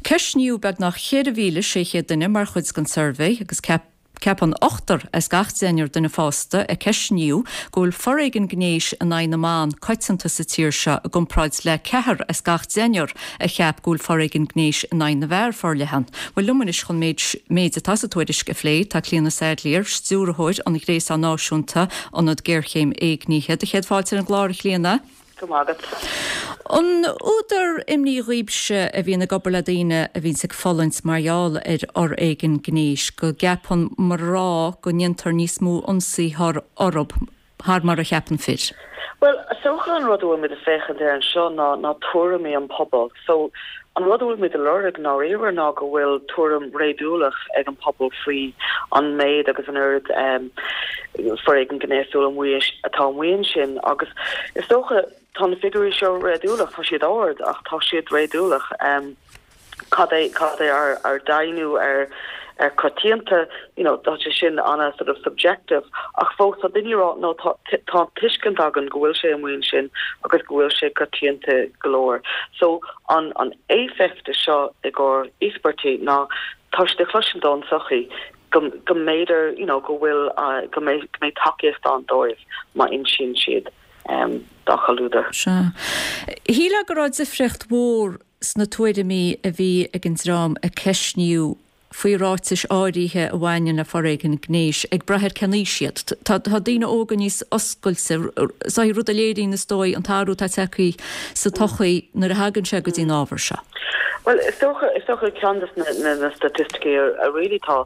Ceistníodh beagnach ceithre mhíle sé chéad duine mar chuid den suirbhé agus ceap Ceapann ochtar as gach deichniúr duine fásta a ceistníodh go bhfuil foréigean gnéis in aghaidh na mban coitianta sa tír seo i gcomparáid le ceathrar as gach deichniúr a cheap go bhfuil foréigean gnéis in aghaidh na bhfear forleathan. Bhuel liom anois chun méid méid atá sa tuairisc a phlé tá Clíona Saidléar, Stiúrthóir an Ghréasáin Náisiúnta Ionad Géarchéim Éignithe. Do chéad fáilte ar an gclár, a Chlíona. Go maith agat. An údar imní dhaoibhse a bhíonn ag obair le daoine a bhíonns ag fulaingt mar gheall ar fhoréigean gnéis go gceapann mná go ndéantar níos mó ionsaithe orthu thar mar a cheapann fir? Bhuel, is dócha an rud a bhfuil muid ag féachaint air anseo ná ná tuairimí an pobal. So, an rud a bhfuil muid a lorg i ndáiríre ná go bhfuil tuairim réadúlach ag an pobal faoi an méid agus an oiread foréigean gnéasúil amuigh atá amuigh ansin agus is dócha tá na figiúirí seo réadúlach, tá siad ard ach tá siad réadúlach. Cad é cad é ár ár deimhniú ar ar coitianta, you know, tá sé sin ana sort of subjective ach fós tá daoine ag rá no tá tá tuiscint againn go bhfuil sé amuigh ansin agus go bhfuil sé coitianta go leor. So an an éifeacht seo i gcomhair íospartaigh ná tá siad ag cloisint ón tsochaí go go mb'fhéidir you know go bhfuil go mbeidh go mbeidh tacaíocht ann dóibh má insíonn siad um dá gcomhluadar. Sea. Shílfeá go raibh difríocht mhór sna tuairimí a bhí ag an dream a ceistníodh faoi ráitis áirithe a bhaineann le foréigean gnéis, ag brath ar cén aois iad. Tá daoine óga níos oscailte, is rud a léiríonn, is dóigh, an t-athrú atá tagtha sa tsochaí nuair a thagann sé go dtí an ábhar seo. Bhuel, is dócha, is dócha ceann de na na staitisticí a really tá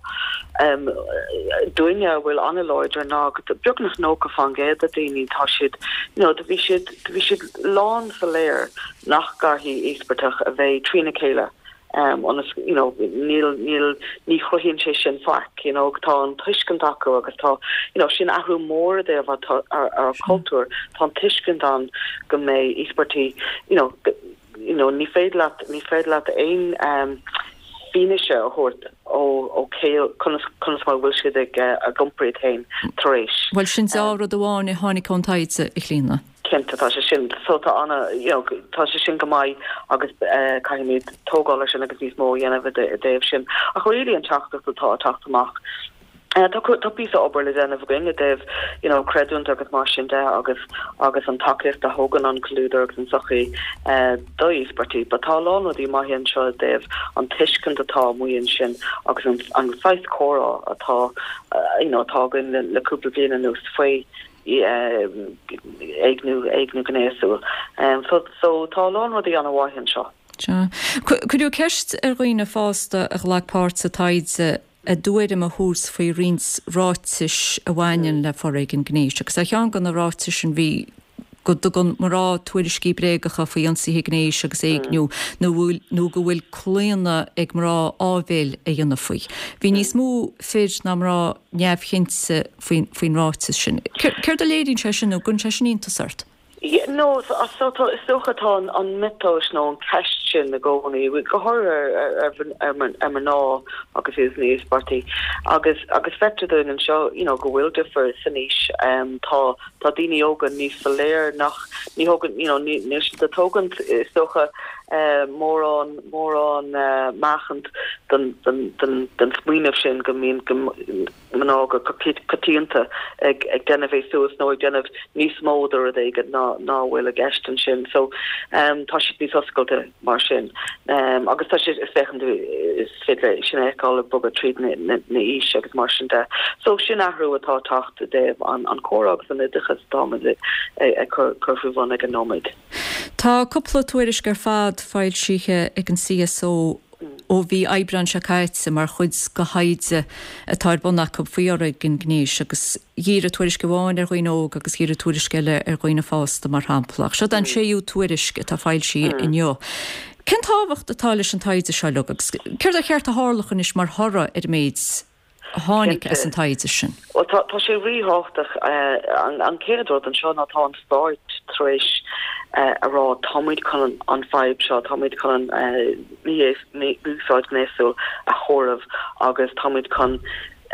dúinne a bhfuil an-láidir ná beagnach nócha faoin gcéad de daoine tá siad, you know, do bhí siad, do bhí siad lán soiléir nach gcaithfidh íospartach a bheith trína chéile. ionas you know níl níl ní chruthaíonn sé sin faic you know tá an tuiscint acu agus tá you know sin athrú mór i dtaobh ár ár cultúr tá an tuiscint ann go mbeidh íospartaigh you know you know ní féidir leat ní féidir leat aon um, fianaise a thabhairt ó ó cé conas conas mar bhfuil siad ag ag iompar iad féin tar éis. Bhuel sin deá-rud amháin a tháinig ón taighde a Chlíona. Cinnte tá sé sin so tá ana you know tá sé sin go maith agus eh, caithfimid tógáil air sin agus níos mó a dhéanamh i dtaobh sin. Ach really an teachtaireacht atá ag teacht amach. Eh, tá tá píosa obair le déanamh againn i dtaobh you know creidiúint agus mar sin de agus agus an tacaíocht a thugann an comhluadar agus an tsochaí eh, do íospartaigh, but tá a lán rudaí maithe anseo i dtaobh an tuiscint atá amuigh ansin agus an an saghas comhrá atá eh, you know atá againn le, le cúpla bliain anuas faoi éigniú éigniú gnéasúil. Um, so, so tá a lán rudaí an-mhaith anseo. Sea. Cuireadh ceist ar dhaoine fásta a ghlac páirt sa taighde a dtuairim a thabhairt faoi roinnt ráitis a bhaineann le foréigean gnéis, agus ar cheann de na ráitis sin bhí go dtugann mná tuairiscí bréagacha faoi ionsaithe gnéis agus éigniú nó nó go bhfuil claonadh ag mná áibhéil a dhéanamh faoi. Bhí níos mó fir ná mná neamhchinnte faoin faoin ráiteas sin. Céard a léiríonn sé sin nó an gcuireann sé sin iontas ort? No, so tá is dócha tá an miotas nó an ceist sin i gcónaí, go háirithe ar ar mná agus iad ina n-íospartaigh agus agus feictear dúinn anseo you know go bhfuil difear san aois tá tá daoine óga níos soiléir nach ní thugann you know ní níl siad ag tógaint is dócha mórán mórán meáchaint don don don don smaoineamh sin go mbíonn go mná go coitianta ag ag déanamh é suas nó ag déanamh níos mó de rud éigin ná ná bhfuil i gceist ansin so um tá siad níos oscailte mar sin um agus tá sé is féachann tú is féidir sin a fheiceáil ag bogadh tríd na na na aois agus mar sin de so sin athrú atá ag teacht i dtaobh an an comhrá agus an oideachas atáimid ag cur cur faoi bhun ag an nóiméad. Tá cúpla tuairisc ar fad foilsithe ag an CSO ó mhí Aibreáin seo caite mar chuid de thaighde atá ar bun acu faoi fhoréigean gnéis agus dhírigh tuairisc amháin ar dhaoine óga agus dhírigh tuairisc eile ar dhaoine fásta mar shampla. Ach seo an séú tuairisc atá foilsithe inniu. Cén tábhacht atá leis an taighde seo uilig agus céard ar cheart a tharlódh anois mar thoradh ar an méid a tháinig as an taighde sin? Bhuel tá tá sé ríthábhachtach an an chéad rud anseo ná tá an stáit tar éis a rá táimid chun an fadhb seo, táimid chun an mí-úsáid ghnéasúil a chomhaireamh agus táimid chun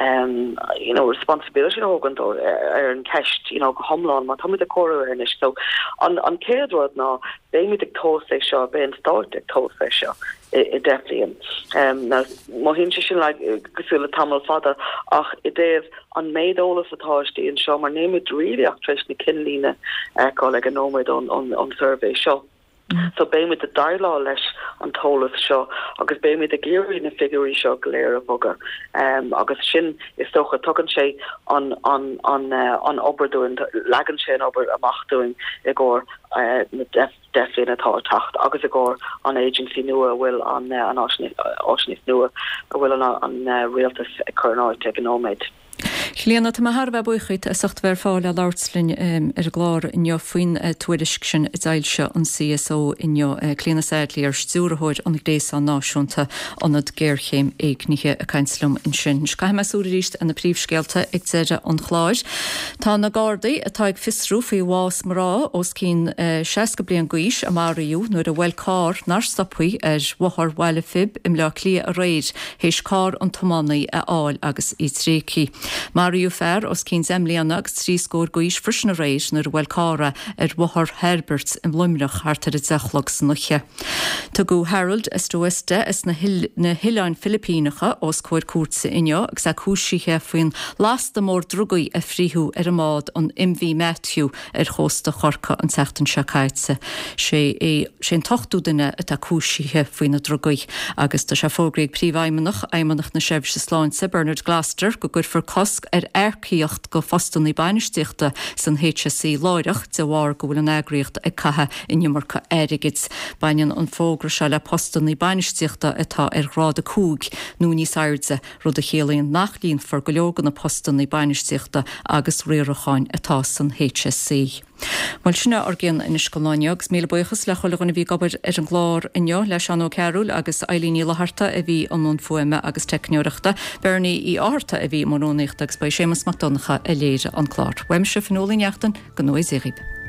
um, you know, responsibility a thógaint ar an ceist you know, go hiomlán mar táimid ag comhaireamh air anois. So an, an chéad rud ná beimid ag tomhas é seo, beidh an stát ag tomhas é seo i, i deich bliain. Um, now, mothaíonn sé sin like, cosúil le tamall fada ach i dtaobh an méid eolas atá istigh anseo mar nílimid really ach tar éis na cinnlíne a fheiceáil ag an nóiméad ón, ón, ón suirbhé seo. So beimid ag déileáil leis an t-eolas seo agus beimid ag iarraidh na figiúirí seo go léir a bhogadh. Um, agus sin is dócha tugann sé an, an, an, uh, an obair dúinn, leagann sé an obair amach dúinn i gcomhair uh, na deich deich bliana atá ag teacht agus i gcomhair an agency nua a bhfuil an, uh, an áisíneacht nua a bhfuil an, an uh, rialtas ag cur in áit ag an nóiméad. Clíona, tá mé thar a bheith buíoch díot as ucht bheith ar fáil le labhairt linn ar an gclár inniu faoin tuairisc sin a d'fhoilsigh an C S O inniu. Clíona Saidléar, Stiúrthóir an Ghréasáin Náisiúnta Ionad Géarchéim Éignithe ag caint liom ansin. Caithfidh mé súil arís ar na príomhscéalta ag deireadh an chláir. Tá na Gardaí atá ag fiosrú faoi bhás mná os cionn seasca bliain d'aois a maraíodh nuair a bhuail carr nár stoptha ar Bhóthar Bhaile Phib i mBleá Cliath aréir théis carr an tiománaí a fháil agus í tréigthe. Maraíodh fear os cionn deich mbliana agus trí scór d'aois freisin aréir nuair a bhuail carr é ar Bhóthar Herbert i Luimneach thart ar a deich a chlog san oíche. Tugadh Harold Estoesta as na hOileáin Philipíneacha os comhair cúirte inniu agus é cúisithe faoin lasta mór drugaí a frítheadh ar an mbád an M V Matthew ar chósta Chorcaí an tseachtain seo caite. Sé é sé an t-ochtú duine atá cúisithe faoi na drugaí agus tá sé fógraithe ag Príomhfheidhmeannach Fheidhmeannacht na Seirbhíse Sláinte Bernard Gloster go gcuirfear cosc ar earcaíocht go phostanna bainistíochta san H S E láithreach de bharr go bhfuil an eagraíocht ag caitheamh an iomarca airgid. Baineann an fógra seo le postanna bainistíochta atá ar ghrád a cúig nó níos airde, rud a chiallaíonn nach líonfar go leor de na postanna bainistíochta agus riaracháin atá san H S E. Bhuel sin ár gceann anois don lá inniu agus míle buíochas le chuile dhuine a bhí ag obair ar an gclár inniu le Seán Ó Cearúil agus Eileen Ní Fhlatharta a bhí i mbun fuaime agus teicneoireachta, Bernie Uí Fhátharta a bhí i mbun rúnaíochta agus ba é Séamus Mac Donncha a léirigh an clár. Uaimse Fionnuala Ní Neachtain go ngnóthaí Dia dhaoibh.